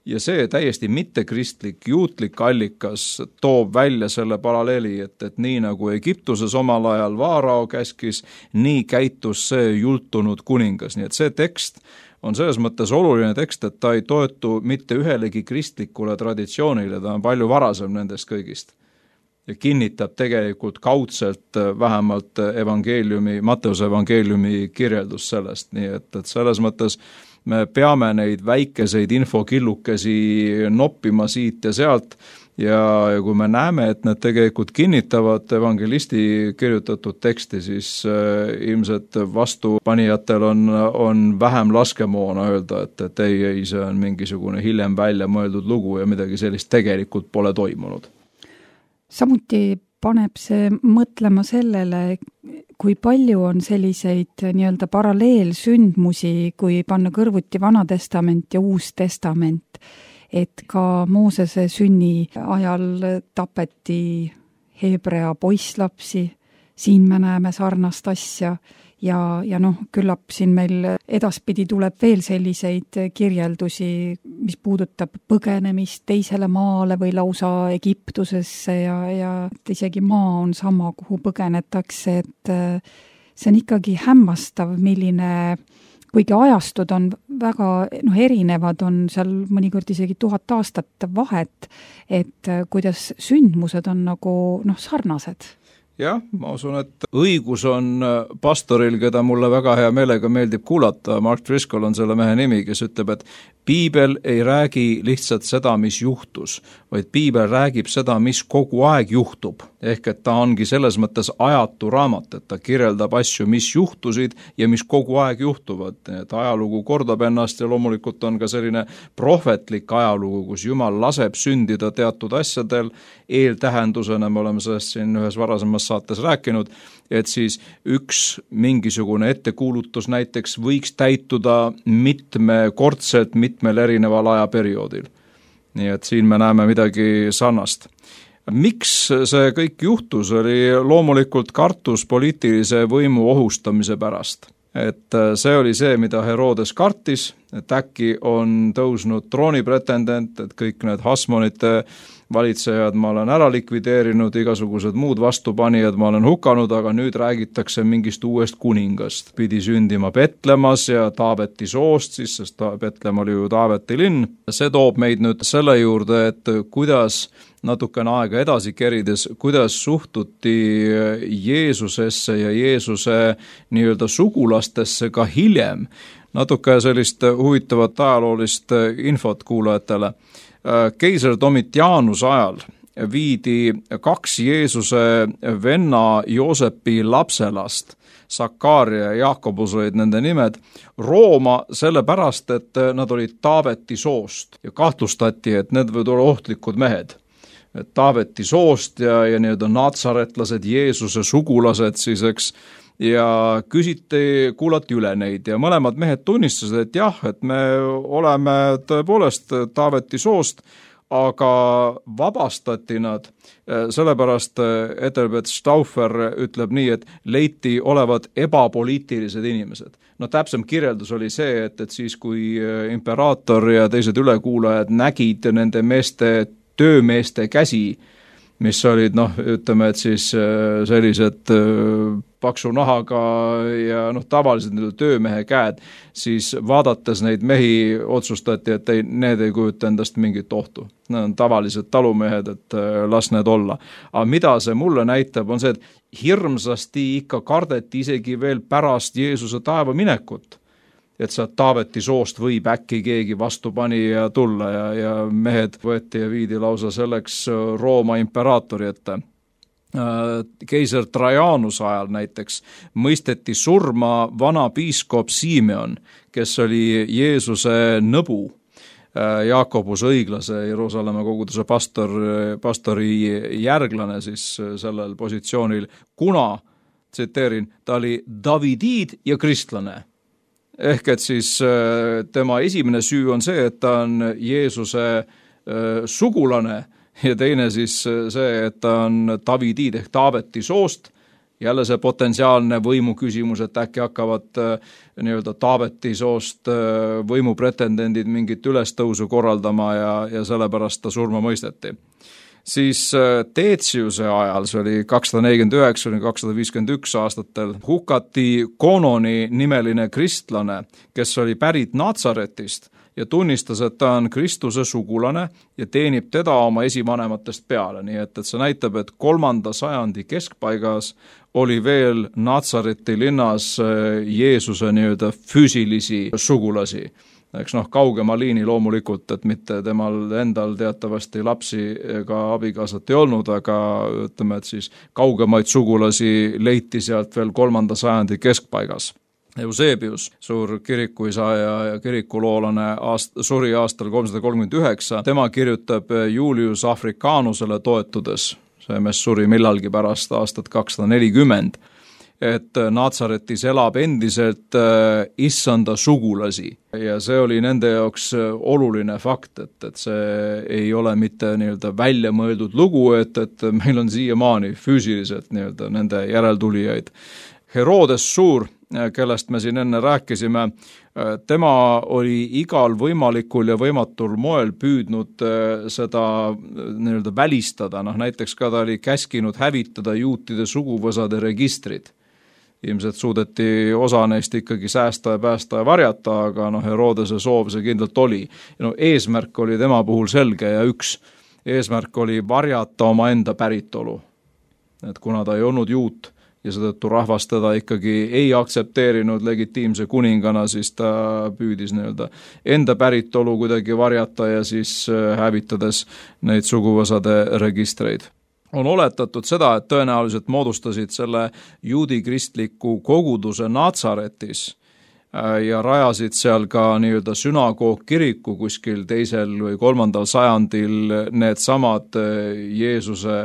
Ja see täiesti mittekristlik juutlik allikas toob välja selle paralleeli, et nii nagu Egiptuses omal ajal Vaarao käskis, nii käitus see jultunud kuningas. Nii et see tekst on selles mõttes oluline tekst, et ta ei toetu mitte ühelegi kristlikule traditsioonile, ta on palju varasem nendest kõigist. Ja kinnitab tegelikult kaudselt vähemalt Matteuse evangeeliumi kirjeldus sellest, nii et selles mõttes me peame neid väikeseid infokillukesi noppima siit ja sealt ja kui me näeme, et need tegelikult kinnitavad evangelisti kirjutatud teksti, siis ilmselt vastupanijatel on vähem laskemoona öelda, et ei, see on mingisugune hiljem välja mõeldud lugu ja midagi sellist tegelikult pole toimunud. Samuti paneb see mõtlema sellele, kui palju on selliseid nii-öelda paralleelsündmusi, kui panna kõrvuti Vana Testament ja Uus Testament, et ka Moosese sünni ajal tapeti Hebrea poisslapsi, siin me näeme sarnast asja ja küllap siin meil edaspidi tuleb veel selliseid kirjeldusi, mis puudutab põgenemist teisele maale või lausa Egiptusesse ja isegi maa on sama, kuhu põgenetakse, et see on ikkagi hämmastav, milline, kuigi ajastud on väga erinevad, on seal mõnikord isegi 1000 aastat vahet, et kuidas sündmused on nagu sarnased. Jah, ma usun, et õigus on pastoril, keda mulle väga hea meelega meeldib kuulata, Mark Driscoll on selle mehe nimi, kes ütleb, et piibel ei räägi lihtsalt seda, mis juhtus, vaid piibel räägib seda, mis kogu aeg juhtub. Ehk et ta ongi selles mõttes ajatu raamat, et ta kirjeldab asju, mis juhtusid ja mis kogu aeg juhtuvad. Et ajalugu kordab ennast ja loomulikult on ka selline prohvetlik ajalugu, kus Jumal laseb sündida teatud asjadel eeltähendusena, me oleme sellest siin ühes varasemas saates rääkinud, et siis üks mingisugune ettekuulutus näiteks võiks täituda mitmekordselt mitmel erineval ajaperioodil. Nii et siin me näeme midagi sarnast. Miks see kõik juhtus, oli loomulikult kartus poliitilise võimu ohustamise pärast. Et see oli see, mida Herodes kartis, et äkki on tõusnud troonipretendent, et kõik need Hasmonite valitsejad ma olen ära likvideerinud, igasugused muud vastupanijad ma olen hukanud, aga nüüd räägitakse mingist uuest kuningast. Pidi sündima Betlemas ja Taaveti soost, siis sest Betlem oli ju Taaveti linn. See toob meid nüüd selle juurde, et kuidas natukene aega edasi kerides, kuidas suhtuti Jeesusesse ja Jeesuse nii-öelda sugulastesse ka hiljem. Natuke sellist huvitavat ajaloolist infot kuulajatele. Keiser Domitianus ajal viidi 2 Jeesuse venna Joosepi lapselast, Sakaaria ja Jaakobus olid nende nimed, Rooma sellepärast, et nad olid Taaveti soost ja kahtlustati, et need võivad olla ohtlikud mehed. Et Taaveti soost ja nii-öelda natsaretlased, Jeesuse sugulased siis, eks, ja kuulati üle neid ja mõlemad mehed tunnistasid, et jah, et me oleme tõepoolest Taaveti soost, aga vabastati nad, sellepärast Ethelbert Stauffer ütleb nii, et leiti olevat ebapoliitilised inimesed. No täpsem kirjeldus oli see, et siis kui imperaator ja teised ülekuulajad nägid nende meeste töömeeste käsi, mis olid, ütleme, et siis sellised paksu nahaga ja tavaliselt töömehe käed, siis vaadates neid mehi otsustati, et need ei kujuta endast mingit ohtu. Need on tavalised talumehed, et las need olla. Aga mida see mulle näitab, on see, et hirmsasti ikka kardeti isegi veel pärast Jeesuse taeva minekut. Et sealt Taaveti soost võib äkki keegi vastupanija tulla ja mehed võeti ja viidi lausa selleks Rooma imperaatori ette. Keiser Trajanus ajal näiteks mõisteti surma vana piiskop Simeon, kes oli Jeesuse nõbu, Jaakobus õiglase Jeruusalemma koguduse pastori järglane siis sellel positsioonil, kuna, tsiteerin, ta oli Davidid ja kristlane. Ehk et siis tema esimene süü on see, et ta on Jeesuse sugulane ja teine siis see, et ta on Davidid ehk Taaveti soost. Jälle see potentsiaalne võimu küsimus, et äkki hakkavad nii-öelda Taaveti soost võimupretendendid mingit ülestõusu korraldama ja sellepärast ta surma mõisteti. Siis Teetsiuse ajal, see oli 249–251 aastatel, hukati Kononi nimeline kristlane, kes oli pärit Natsaretist ja tunnistas, et ta on Kristuse sugulane ja teenib teda oma esivanematest peale. Nii et see näitab, et 3. sajandi keskpaigas oli veel Natsareti linnas Jeesuse nii-öelda füüsilisi sugulasi. eks kaugema liini loomulikult, et mitte temal endal teatavasti lapsi ega abikaasat ei olnud, aga ütleme, et siis kaugemaid sugulasi leiti sealt veel 3. sajandi keskpaigas. Eusebius, suur kirikuisa ja kirikuloolane, suri aastal 339, tema kirjutab Julius Africanusele toetudes, see mees suri millalgi pärast aastat 240, et Natsaretis elab endiselt issanda sugulasi ja see oli nende jaoks oluline fakt, et see ei ole mitte nii-öelda välja mõeldud lugu, et meil on siiamaani füüsiliselt nii-öelda nende järeltulijaid. Herodes Suur, kellest me siin enne rääkisime, tema oli igal võimalikul ja võimatul moel püüdnud seda nii-öelda välistada, näiteks ka ta oli käskinud hävitada juutide suguvõsade registrid. Ilmselt suudeti osa neist ikkagi säästa ja päästa ja varjata, aga Herodese soov see kindlalt oli. Eesmärk oli tema puhul selge ja üks eesmärk oli varjata oma enda päritolu. Et kuna ta ei olnud juut ja seetõttu rahvas teda ikkagi ei aktsepteerinud legitiimse kuningana, siis ta püüdis nii-öelda enda päritolu kuidagi varjata ja siis hävitades neid suguvõsade registreid. On oletatud seda, et tõenäoliselt moodustasid selle juudi kristliku koguduse Natsaretis ja rajasid seal ka nii-öelda sünagoogkiriku kuskil 2. või 3. sajandil need samad Jeesuse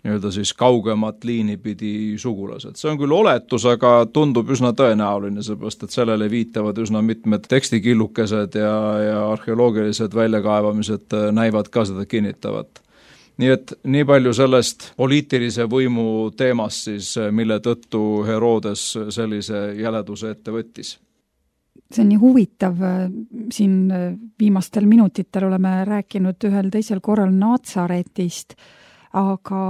nii-öelda siis kaugemat liini pidi sugulased. See on küll oletus, aga tundub üsna tõenäoline, seepärast et sellele viitavad üsna mitmed tekstikillukesed ja arheoloogilised väljakaevamised näivad ka seda kinnitavat. Nii et nii palju sellest poliitilise võimu teemast siis, mille tõttu Herodes sellise jäleduse ette võttis. See on nii huvitav, siin viimastel minutitel oleme rääkinud ühel teisel korral Natsaretist, aga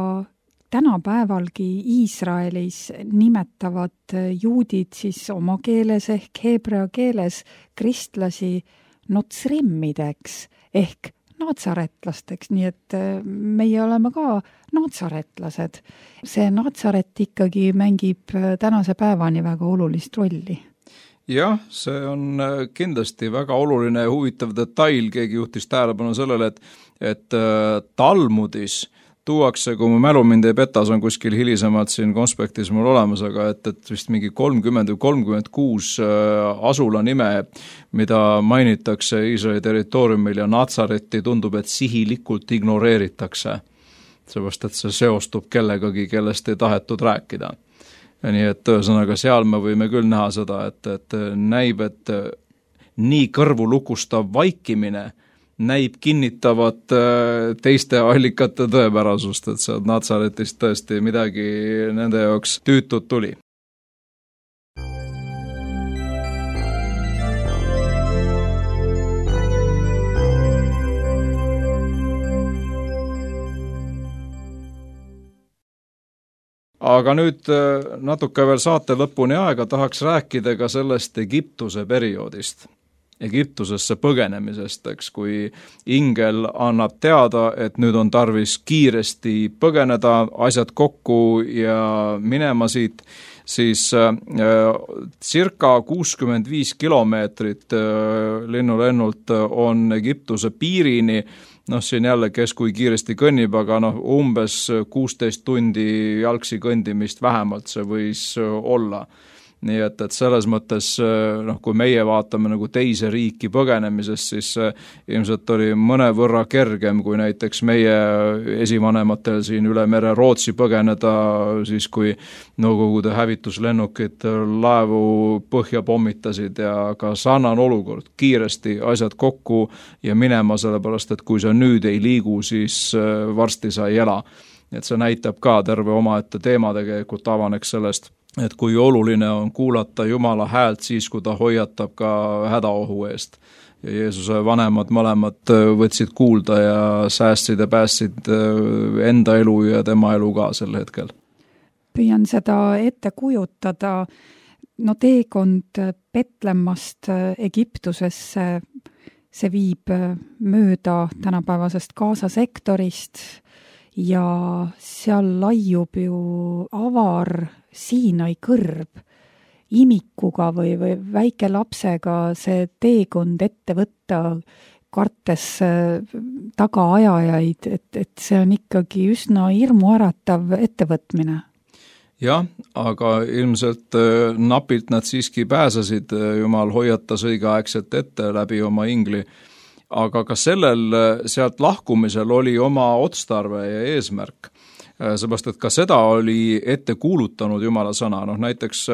tänapäevalgi Iisraelis nimetavad juudid siis oma keeles ehk heebrea keeles kristlasi notsrimmideks ehk natsaretlasteks, nii et meie oleme ka natsaretlased. See Natsaret ikkagi mängib tänase päevani väga olulist rolli. Jah, see on kindlasti väga oluline ja huvitav detail, keegi juhtis tähelepanu sellele, et Talmudis tuuakse, kui mu mälu mind ei peta, see on kuskil hilisemalt siin konspektis mul olemas, aga et vist mingi 30 või 36 asula nime, mida mainitakse Iisraeli territooriumil ja Natsareti tundub, et sihilikult ignoreeritakse. Seepärast, et see seostub kellegagi, kellest ei tahetud rääkida. Ja nii, et ühesõnaga seal me võime küll näha seda, et näib, et nii kõrvu lukustav vaikimine näib kinnitavat teiste allikate tõepärasust, et see Natsaretist tõesti midagi nende jaoks tüütud tuli. Aga nüüd natuke veel saate lõpuni aega tahaks rääkida ka sellest Egiptuse perioodist. Egiptusesse põgenemisest, eks, kui ingel annab teada, et nüüd on tarvis kiiresti põgeneda, asjad kokku ja minema siit, siis circa 65 kilomeetrit linnulennult on Egiptuse piirini, siin jälle, kes kui kiiresti kõnnib, aga umbes 16 tundi jalgsi kõndimist vähemalt see võis olla. Nii et selles mõttes, kui meie vaatame nagu teise riiki põgenemisest, siis ilmselt oli mõnevõrra kergem kui näiteks meie esivanematel siin üle mere Rootsi põgeneda, siis kui Nõukogude hävituslennukid laevu põhja pommitasid ja ka sarnane olukord, kiiresti asjad kokku ja minema, sellepärast et kui sa nüüd ei liigu, siis varsti sa ei ela. Et see näitab ka terve omaette teema tegelikult avaneks sellest, et kui oluline on kuulata Jumala häält siis, kui ta hoiatab ka hädaohu eest. Ja Jeesuse vanemad mõlemad võtsid kuulda ja säästsid ja päästsid enda elu ja tema elu ka sel hetkel. Püüan seda ette kujutada. Teekond Betlemmast Egiptusesse, see viib mööda tänapäevasest Gaza sektorist ja seal laiub ju avar Siinai kõrb imikuga või väike lapsega see teekond ette võtta, kartes tagaajajaid, et see on ikkagi üsna hirmuäratav ettevõtmine. Jah, aga ilmselt napilt nad siiski pääsesid, Jumal hoiatas õigeaegselt ette läbi oma ingli, aga ka sellel sealt lahkumisel oli oma otstarve ja eesmärk. Seepärast, et ka seda oli ette kuulutanud Jumala sõna. Näiteks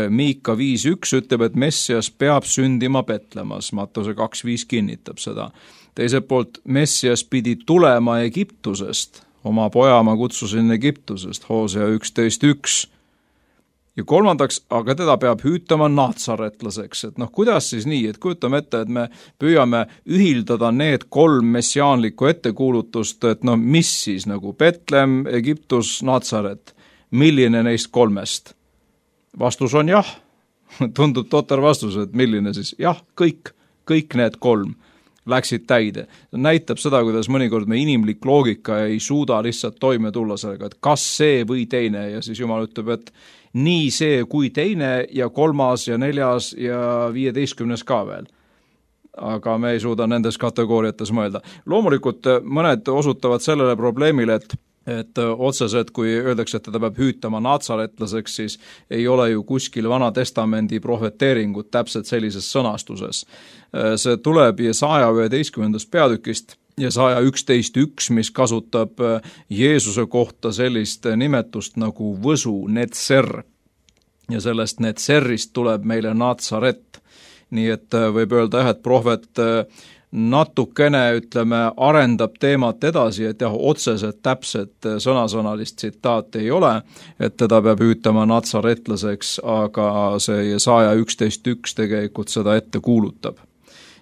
Miika 5.1 ütleb, et Messias peab sündima Betlemas, Mattuse 2.5 kinnitab seda. Teiselt poolt Messias pidi tulema Egiptusest, oma poja ma kutsusin Egiptusest, Hosea 11.1. Ja kolmandaks, aga teda peab hüütama naatsaretlaseks, et kuidas siis nii, et kujutame ette, et me püüame ühildada need 3 messiaanlikku ettekuulutust, et mis siis nagu Betlem, Egiptus, Naatsaret, milline neist 3? Vastus on jah, tundub totter vastus, et milline siis, jah, kõik need 3 läksid täide. Näitab seda, kuidas mõnikord me inimlik loogika ei suuda lihtsalt toime tulla sellega, et kas see või teine ja siis Jumal ütleb, et nii see kui teine ja 3. ja 4. ja 15. ka veel. Aga me ei suuda nendes kategooriates mõelda. Loomulikult mõned osutavad sellele probleemile, et otseselt, kui öeldakse, et teda peab hüütama naatsaretlaseks, siis ei ole ju kuskil Vana Testamendi prohveteeringut täpselt sellises sõnastuses. See tuleb Jesaja 11. peatükist, Jesaja 11.1, mis kasutab Jeesuse kohta sellist nimetust nagu võsu, netser. Ja sellest netserist tuleb meile Naatsaret. Nii et võib öelda, et prohvet natukene, arendab teemat edasi, et otseselt täpset sõnasõnalist tsitaati ei ole, et teda peab hüütama natsaretlaseks, aga see Jesaja 11.1 tegelikult seda ette kuulutab.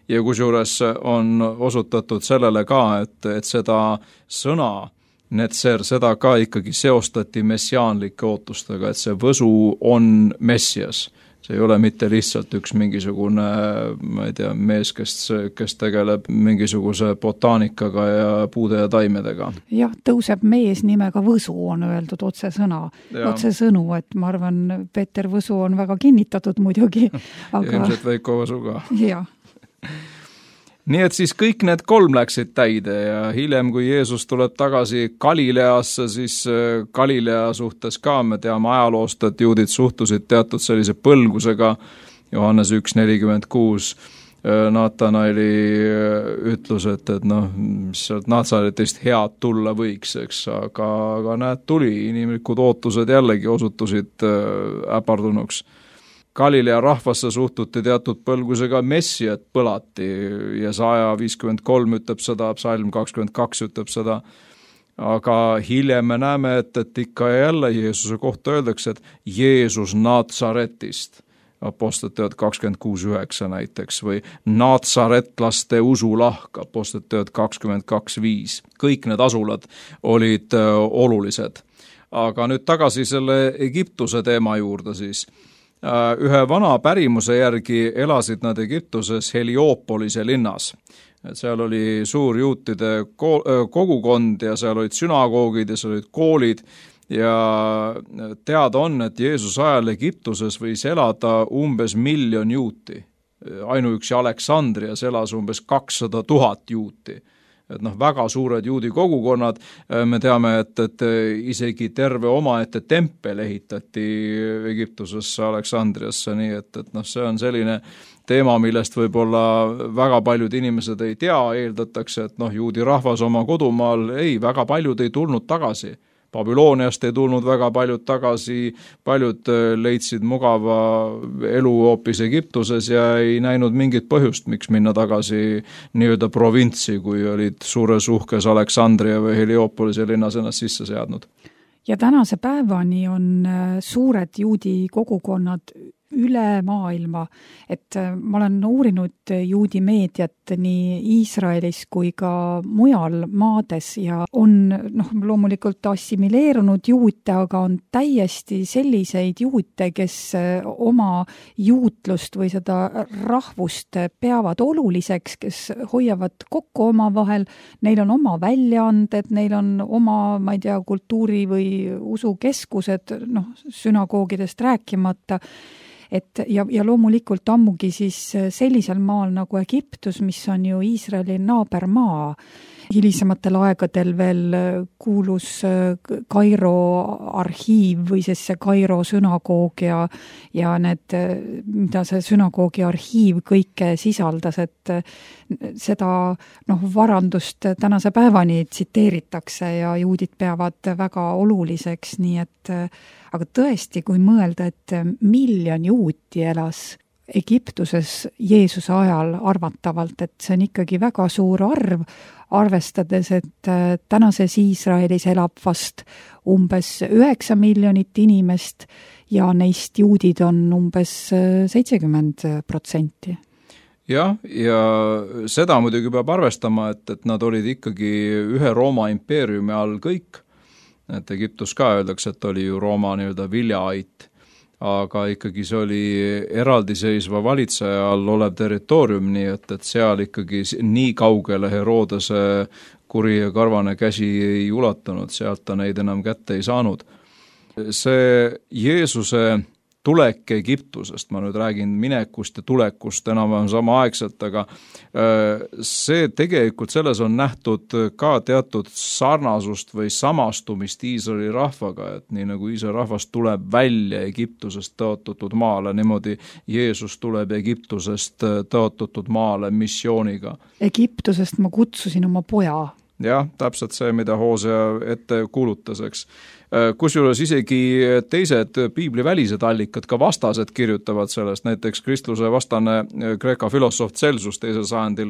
Ja kusjuures on osutatud sellele ka, et seda sõna netser, seda ka ikkagi seostati messiaanlike ootustega, et see võsu on Messias. See ei ole mitte lihtsalt üks mingisugune, ma ei tea, mees, kes tegeleb mingisuguse botaanikaga ja puude ja taimedega. Jah, tõuseb mees nimega Võsu, on öeldud otsesõnu, et ma arvan, Peeter Võsu on väga kinnitatud muidugi. Aga... ilmselt Veiko Võsu ka. Jah. Nii et siis kõik need 3 läksid täide ja hiljem, kui Jeesus tuleb tagasi Galileasse, siis Galilea suhtes ka me teame ajaloost, et juudid suhtusid teatud sellise põlgusega. Johannes 1.46 Naatanaeli ütlus, et mis sealt Naatsaretist head tulla võiks, eks, aga näed, tuli, inimlikud ootused jällegi osutusid äpardunuks. Galilea rahvasse suhtuti teatud põlgusega, Messiat põlati ja Jesaja 53 ütleb seda, Psalm 22 ütleb seda, aga hiljem me näeme, et ikka ja jälle Jeesuse kohta öeldakse, et Jeesus Naatsaretist, Apostliteod 26.9 näiteks, või naatsaretlaste usulahk, Apostliteod 22.5, kõik need asulad olid olulised. Aga nüüd tagasi selle Egiptuse teema juurde siis. Ühe vana pärimuse järgi elasid nad Egiptuses Heliopolise linnas. Seal oli suur juutide kogukond ja seal olid sünagoogid ja seal olid koolid ja teada on, et Jeesuse ajal Egiptuses võis elada umbes 1 000 000 juuti. Ainuüksi Aleksandrias elas umbes 200 000 juuti. Et väga suured juudi kogukonnad, me teame, et isegi terve omaette tempel ehitati Egiptusesse, Aleksandriasse, nii et see on selline teema, millest võib-olla väga paljud inimesed ei tea, eeldatakse, et juudi rahvas oma kodumaal, väga paljud ei tulnud tagasi. Babyloniast ei tulnud väga paljud tagasi, paljud leidsid mugava elu hoopis Egiptuses ja ei näinud mingit põhjust, miks minna tagasi nii-öelda provintsi, kui olid suures uhkes Aleksandria või Heliopolise linnas ennast sisse seadnud. Ja tänase päevani on suured juudi kogukonnad üle maailma, et ma olen uurinud juudi meediat nii Iisraelis kui ka mujal maades ja on loomulikult assimileerunud juute, aga on täiesti selliseid juute, kes oma juutlust või seda rahvust peavad oluliseks, kes hoiavad kokku omavahel, neil on oma väljaanded, neil on oma, ma ei tea, kultuuri või usukeskused, sünagoogidest rääkimata. ja loomulikult ammugi siis sellisel maal nagu Egiptus, mis on ju Iisraeli naabermaa. Hilisematel aegadel veel kuulus Kairo arhiiv või siis see Kairo sünagoog ja need, mida see sünagoogi arhiiv kõike sisaldas, et seda varandust tänase päevani tsiteeritakse ja juudid peavad väga oluliseks, nii et aga tõesti, kui mõelda, et 1 miljon juuti elas Egiptuses Jeesuse ajal arvatavalt, et see on ikkagi väga suur arv, arvestades, et tänases Iisraelis elab vast umbes 9 miljonit inimest ja neist juudid on umbes 70%. Jah, ja seda muidugi peab arvestama, et nad olid ikkagi ühe Rooma impeeriumi all kõik, et Egiptus ka öeldakse, et oli ju Rooma nii-öelda viljaait, aga ikkagi see oli eraldiseisva valitseja all olev territoorium, nii et seal ikkagi nii kaugele Herodese kuri ja karvane käsi ei ulatunud, sealt ta neid enam kätte ei saanud. See Jeesuse tulek Egiptusest, ma nüüd räägin minekust ja tulekust enam-vähem samaaegselt, aga see tegelikult selles on nähtud ka teatud sarnasust või samastumist Iisraeli rahvaga, et nii nagu Iisraeli rahvas tuleb välja Egiptusest tõotatud maale, niimoodi Jeesus tuleb Egiptusest tõotatud maale missiooniga. Egiptusest ma kutsusin oma poja. Jah, täpselt see, mida Hoosea ette kuulutas, eks. Kusjuures isegi teised piiblivälised allikad, ka vastased kirjutavad sellest, näiteks kristluse vastane Kreeka filosoof Celsus 2. sajandil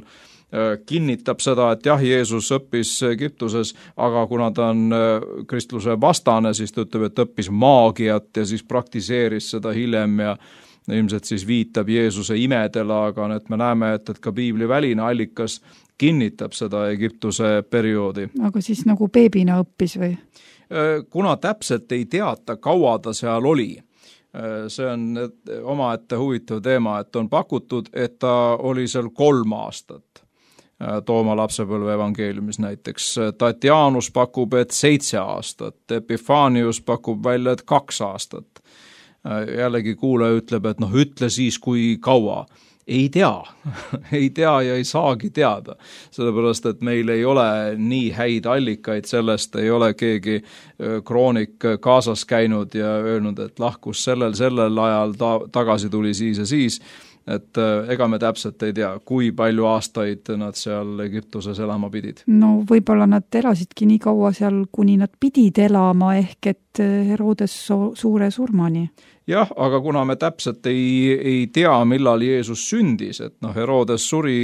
kinnitab seda, et jah, Jeesus õppis Egiptuses, aga kuna ta on kristluse vastane, siis ta ütleb, et õppis maagiat ja siis praktiseeris seda hiljem ja ilmselt siis viitab Jeesuse imedele, aga nüüd me näeme, et ka piibliväline allikas kinnitab seda Egiptuse perioodi. Aga siis nagu beebina õppis või? Kuna täpselt ei teata, kaua ta seal oli. See on omaette huvitav teema, et on pakutud, et ta oli seal 3 aastat. Tooma lapsepõlve evangeeliumis näiteks. Tatianus pakub, et 7 aastat. Epifanius pakub välja, et 2 aastat. Jällegi kuulaja ütleb, et ütle siis, kui kaua. Ei tea ja ei saagi teada, sellepärast, et meil ei ole nii häid allikaid sellest, ei ole keegi kroonik kaasas käinud ja öelnud, et lahkus sellel ajal tagasi tuli siis ja siis, et ega me täpselt ei tea, kui palju aastaid nad seal Egiptuses elama pidid. No võib-olla nad elasidki nii kaua seal, kuni nad pidid elama, ehk et Herodes suure surmani. Jah, aga kuna me täpselt ei tea, millal Jeesus sündis, et Herodes suri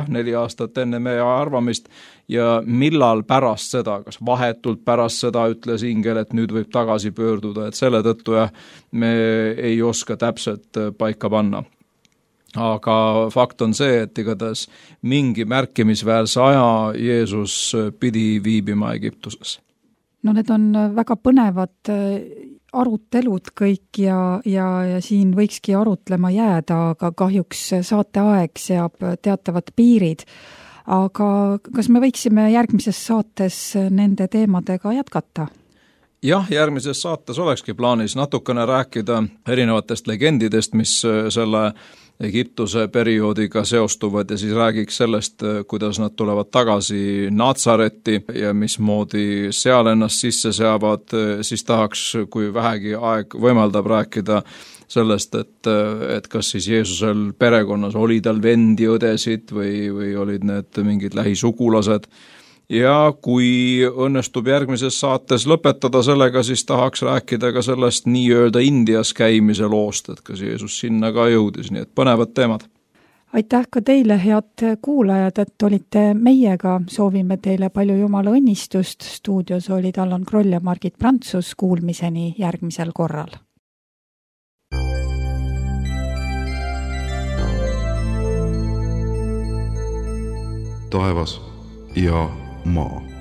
4 aastat enne meie arvamist ja millal pärast seda, kas vahetult pärast seda ütles ingel, et nüüd võib tagasi pöörduda, et selle tõttu me ei oska täpselt paika panna. Aga fakt on see, et igatahes mingi märkimisväärse aja Jeesus pidi viibima Egiptuses. No need on väga põnevad arutelud kõik ja siin võikski arutlema jääda, aga kahjuks saateaeg seab teatavad piirid. Aga kas me võiksime järgmises saates nende teemadega jätkata? Jah, järgmises saates olekski plaanis natukene rääkida erinevatest legendidest, mis selle Egiptuse perioodiga seostuvad ja siis räägiks sellest, kuidas nad tulevad tagasi Natsaretti ja mismoodi seal ennast sisse seavad, siis tahaks, kui vähegi aeg võimaldab rääkida sellest, et kas siis Jeesusel perekonnas oli tal vendi, õdesid või olid need mingid lähisugulased. Ja kui õnnestub järgmises saates lõpetada sellega, siis tahaks rääkida ka sellest nii-öelda Indias käimise loost, et kas Jeesus sinna ka jõudis, nii et põnevad teemad. Aitäh ka teile, head kuulajad, et olite meiega. Soovime teile palju Jumala õnnistust. Stuudios olid Allan Kroll ja Margit Prantsus. Kuulmiseni järgmisel korral. Taevas ja maa.